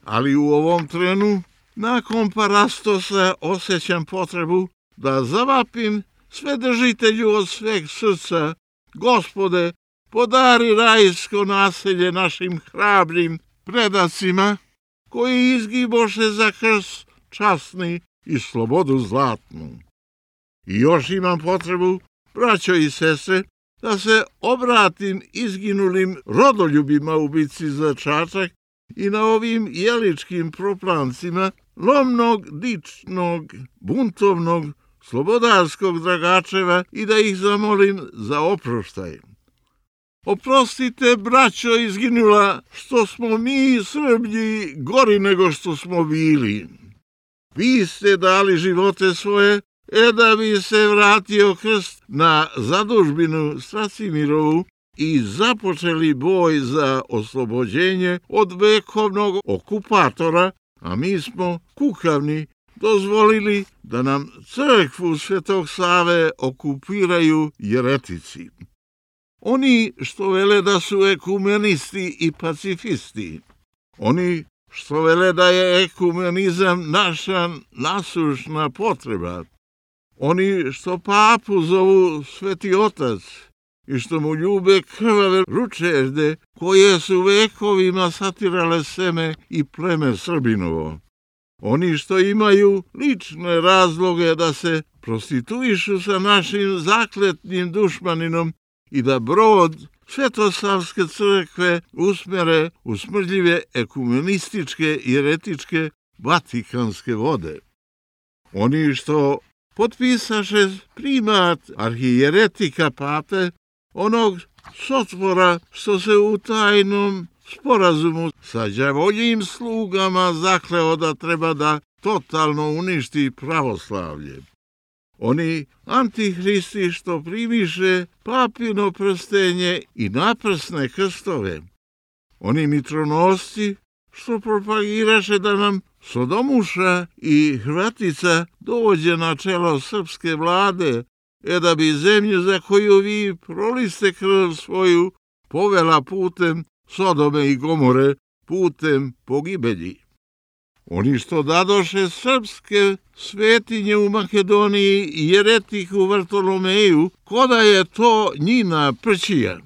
[SPEAKER 4] Ali u ovom trenu, nakon Parastosa, osjećam potrebu da zavapim Svedržitelju od sveg srca: Gospode, podari rajsko naselje našim hrabrim predacima, koji izgiboše za krst časni i slobodu zlatnu. I još imam potrebu, braćo i sestre, da se obratim izginulim rodoljubima u bitci za Čačak i na ovim jeličkim proplancima lomnog, dičnog, buntovnog, slobodarskog Dragačeva i da ih zamolim za oproštaj. Oprostite, braćo izginula, što smo mi Srblji gori nego što smo bili. Vi ste dali živote svoje, da bi se vratio krst na zadužbinu Stracimirovu i započeli boj za oslobođenje od vekovnog okupatora, a mi smo kukavni dozvolili da nam crkvu Svetog Save okupiraju jeretici. Oni što vele da su ekumenisti i pacifisti, oni što vele da je ekumenizam naša nasušna potreba, oni što papu zovu Sveti Otac i što mu ljube krvave ručežde koje su vekovima satirale seme i pleme Srbinovo. Oni što imaju lične razloge da se prostituišu sa našim zakletnim dušmaninom i da brod Svetosavske crkve usmere u smrdljive ekumenističke i jeretičke vatikanske vode. Oni što potpisaše primat arhijeretika pape, onog sotvora što se u tajnom sporazumu sa đavoljim slugama zakleo da treba da totalno uništi pravoslavlje. Oni antihristi što primiše papino prstenje i naprsne krstove. Oni mitronosci što propagiraše da nam Sodomuša i Hrvatica dođe na čelo srpske vlade, da bi zemlju za koju vi proliste krv svoju povela putem Sodome i Gomore, putem pogibelji. Oni što dadoše srpske svetinje u Makedoniji i jeretiku Vartolomeju, koda je to njina prćija.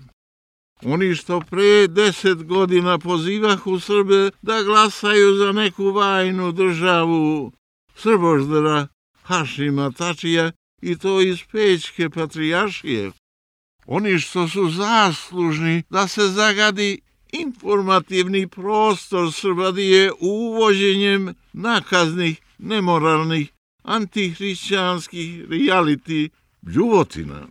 [SPEAKER 4] Oni što pre 10 godina pozivahu Srbe da glasaju za neku vajnu državu Srboždera Hašima Tačija i to iz Pećke patrijaršije. Oni što su zaslužni da se zagadi informativni prostor Srbadije uvođenjem nakaznih, nemoralnih, antihrišćanskih reality bljuvotina.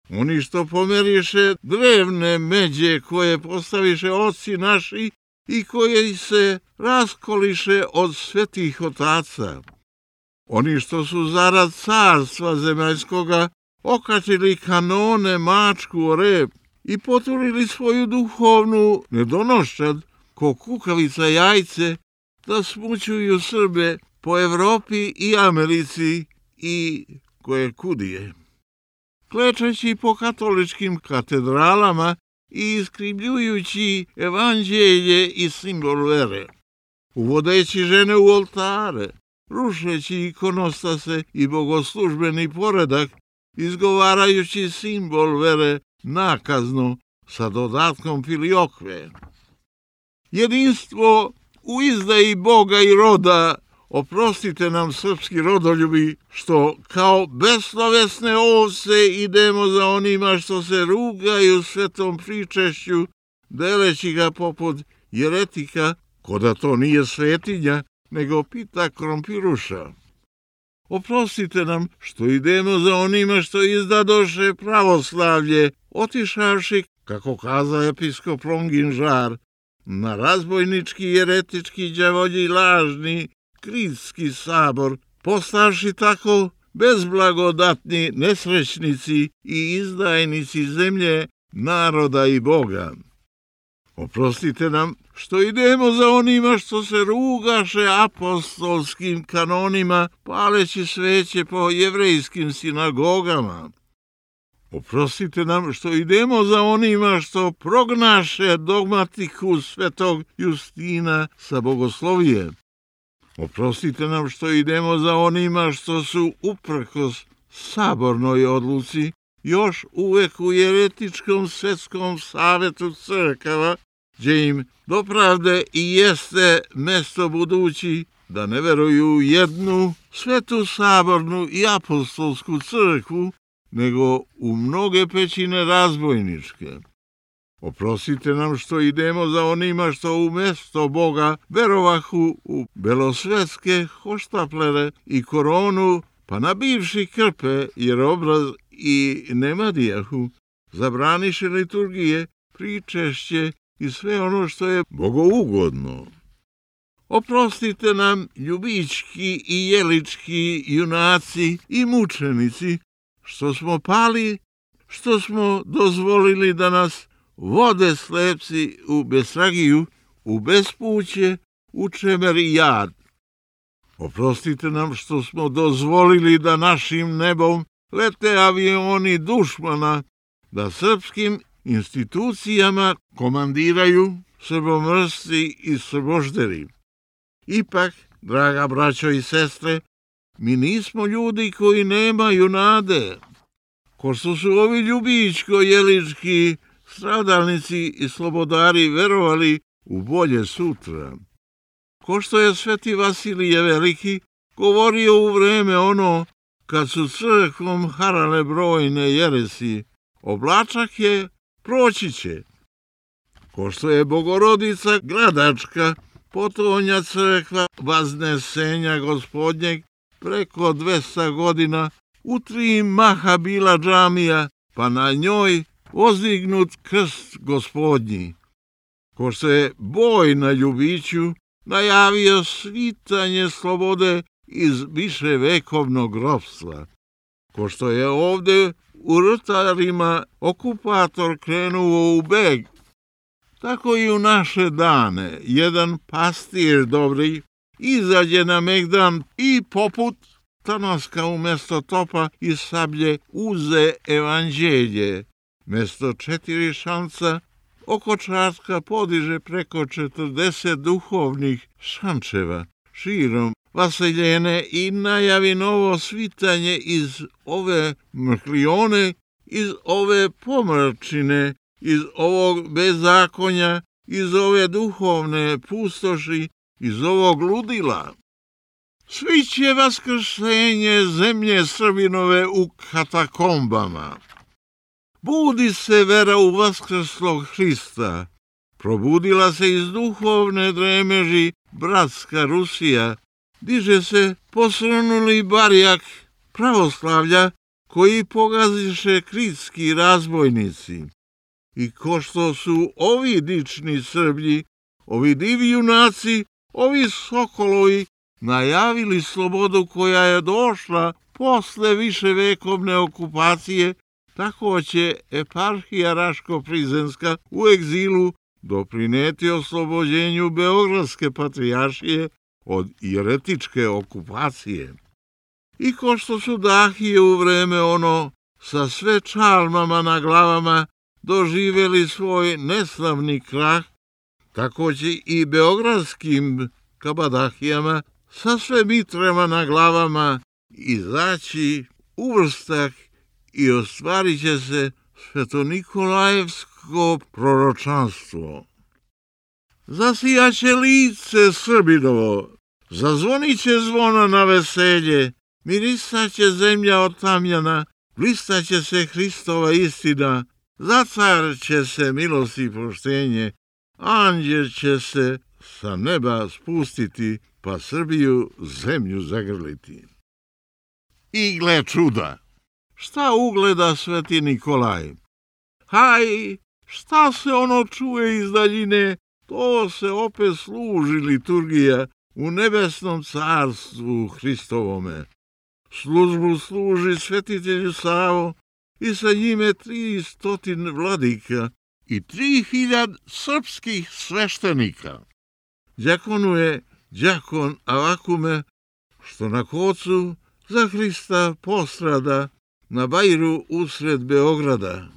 [SPEAKER 4] Oni što pomeriše drevne međe koje postaviše oci naši i koje se raskoliše od svetih otaca. Oni što su zarad carstva zemaljskoga okačili kanone mačku o rep i poturili svoju duhovnu nedonošćad ko kukavica jajce da smućuju Srbe po Evropi i Americi i koje kudije. Klečeći po katoličkim katedralama i iskrivljujući evanđelje i simbol vere, uvodeći žene u oltare, rušeći ikonostase i bogoslužbeni poredak, izgovarajući simbol vere nakazno sa dodatkom filiokve. Jedinstvo u izdaji Boga i roda, oprostite nam srpski rodoljubi, što kao beslovesne ovce idemo za onima što se rugaju svetom pričešću, deleći ga poput jeretika, ko da to nije svetinja, nego pita krompiruša. Oprostite nam što idemo za onima što izdadoše pravoslavlje, otišavši, kako kaza episkop Longin Žar, na razbojnički, jeretički, đavolji, lažni, kritski sabor, postavši tako bezblagodatni nesrećnici i izdajnici zemlje, naroda i Boga. Oprostite nam što idemo za onima što se rugaše apostolskim kanonima, paleći sveće po jevrejskim sinagogama. Oprostite nam što idemo za onima što prognaše dogmatiku svetog Justina sa bogoslovije. Oprostite nam što idemo za onima što su uprkos sabornoj odluci još uvek u jeretičkom svetskom savetu crkava, gdje im dopravde i jeste mesto budući da ne veruju u jednu svetu sabornu i apostolsku crkvu, nego u mnoge pećine razbojničke. Oprostite nam što idemo za onima što umesto Boga verovahu u belosvetske hoštaplere i koronu, pa nabivši krpe jer obraz i nemadijahu, zabraniše liturgije, pričešće i sve ono što je bogougodno. Oprostite nam ljubički i jelički junaci i mučenici, što smo pali, što smo dozvolili da nas vode slepci u besragiju, u bespuće, u čemer i jad. Oprostite nam što smo dozvolili da našim nebom lete avioni dušmana, da srpskim institucijama komandiraju srbomrsci i srbožderi. Ipak, draga braćo i sestre, mi nismo ljudi koji nemaju nade. Ko što su ovi ljubičko-jelički stradalnici i slobodari verovali u bolje sutra. Ko što je sveti Vasilije Veliki govorio u vreme ono kad su crkvom harale brojne jeresi, oblačak je, proći će. Ko što je Bogorodica Gradačka, potonja crkva Vaznesenja Gospodnjeg, preko 200 godina u 3 maha bila džamija, pa na njoj ozdignut krst Gospodnji. Ko što je boj na Ljubiću najavio svitanje slobode iz viševekovnog ropstva. Ko što je ovde u Rtarima okupator krenuo u beg, tako i u naše dane jedan pastir dobri izađe na megdan i poput Tanaska umesto topa i sablje uze evanđelje. Mesto 4 šanca oko Čačka podiže preko 40 duhovnih šančeva širom vaseljene i najavi novo svitanje iz ove mrklione, iz ove pomrčine, iz ovog bezakonja, iz ove duhovne pustoši, iz ovog ludila. Svi će vaskrsenje zemlje Srbinove u katakombama. Budi se vera u vaskrslog Hrista, Probudila se iz duhovne dremeži bratska Rusija, diže se posrnuli barjak pravoslavlja koji pogaziše kritski razbojnici. I ko što su ovi dični Srblji, ovi divi junaci, ovi sokolovi najavili slobodu koja je došla posle viševekovne okupacije, tako će eparhija Raško-Prizrenska u egzilu doprineti oslobođenju Beogradske patrijaršije od jeretičke okupacije. I ko što su dahije u vreme ono sa sve čalmama na glavama doživjeli svoj neslavni krah, tako će i beogradskim kabadahijama sa sve mitrama na glavama izaći u vrstak i ostvarit će se Svetonikolajevsko proročanstvo. Zasijaće lice Srbinovo, zazvonit će zvona na veselje, mirisaće zemlja od tamjana, blistaće se Hristova istina, zacarće se milost i poštenje, anđel će se sa neba spustiti, pa Srbiju zemlju zagrliti. I gle čuda! Šta ugleda Sveti Nikolaj? Haj, šta se ono čuje iz daljine, to se opet služi liturgija u nebesnom carstvu Hristovome. Službu služi svetitelju Savo i sa njime 300 vladika i 3000 srpskih sveštenika. Đakonuje đakon Avakume, što na kocu za Hrista postrada na bajru usred Beograda.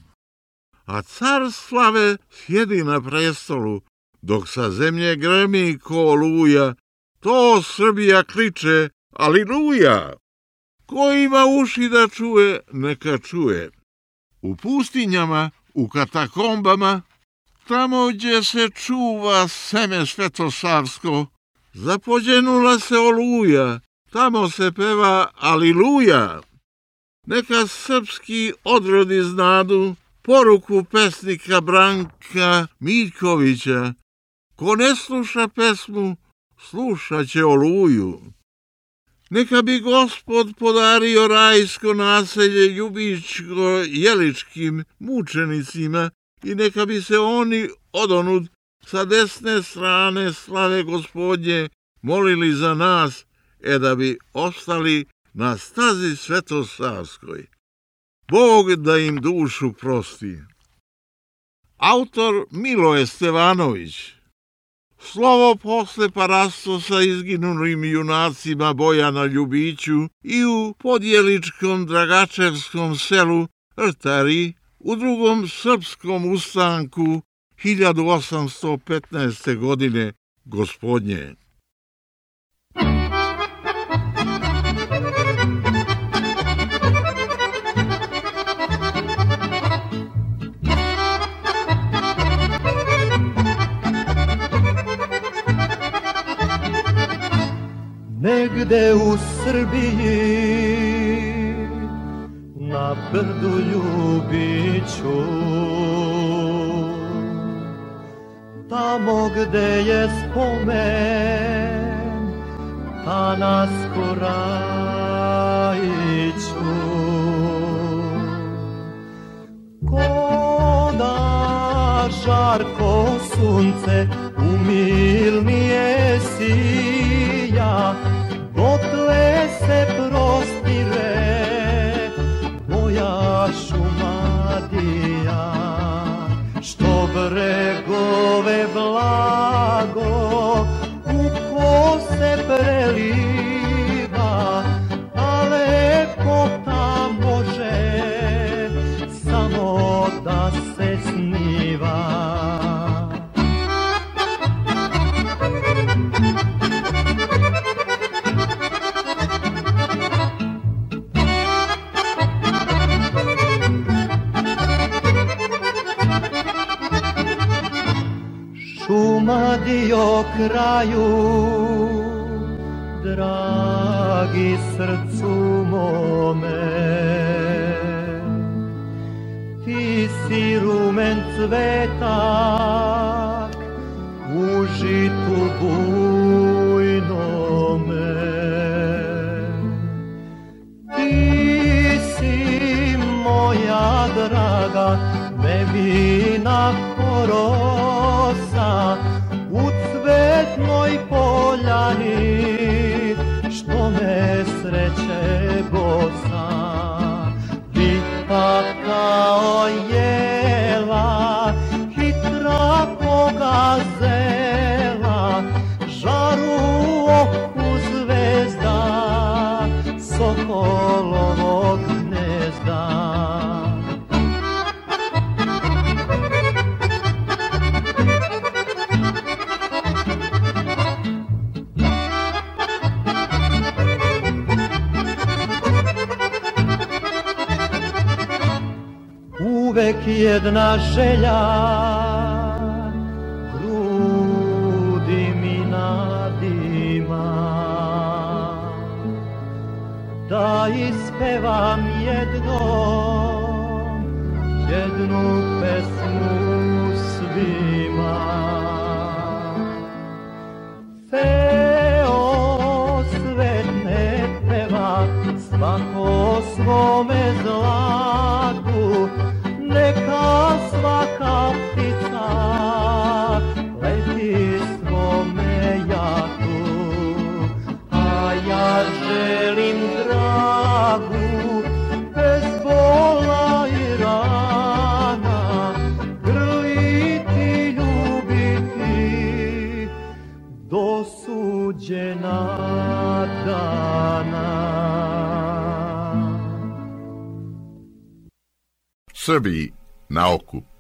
[SPEAKER 4] A car slave sjedi na prestolu, dok sa zemlje gremi ko oluja, to Srbija kriče aliluja. Ko ima uši da čuje, neka čuje. U pustinjama, u katakombama, tamo gdje se čuva seme svetosavsko, zapođenula se oluja, tamo se peva aliluja. Neka srpski odrodi znadu poruku pesnika Branka Miljkovića. Ko ne sluša pesmu, slušat će oluju. Neka bi Gospod podario rajsko naselje ljubičko-jeličkim mučenicima i neka bi se oni odonud sa desne strane slave Gospodnje molili za nas, da bi ostali na stazi svetosavskoj. Bog da im dušu prosti. Autor Miloje Stevanović. Slovo posle parasto sa izginulim junacima Bojana Ljubiću i u podjeličkom Dragačevskom selu Rtari u drugom srpskom ustanku 1815. godine Gospodnje.
[SPEAKER 3] Negde u Srbiji, na brdu Ljubiću, tamo gde je spomen Tanasko Rajiću, ko da žarko sunce umilnije sija, dotle se prostire moja Šumadija, što bregove blago u kose preliva, a lepota može samo da se sniva. Šumadio kraju, dragi srcu mome, ti si rumen cvetak u žitu bujnome. Ti si moja draga, nevina korosa, u cvetnoj poljani, što me sreće bosa. Vita kao jela, hitra pogazela, žaru oku zvezda, sokolovog gnezda. Uvek jedna želja grudi mi nadima, da ispevam jednu pesmu svima. Feo svet ne peva, svako svome zlatu, neka svaka ptica leti svome jatu, a ja želim dragu, bez bola i rana, grliti, ljubiti, do suđena dana.
[SPEAKER 1] Srbiji na okup.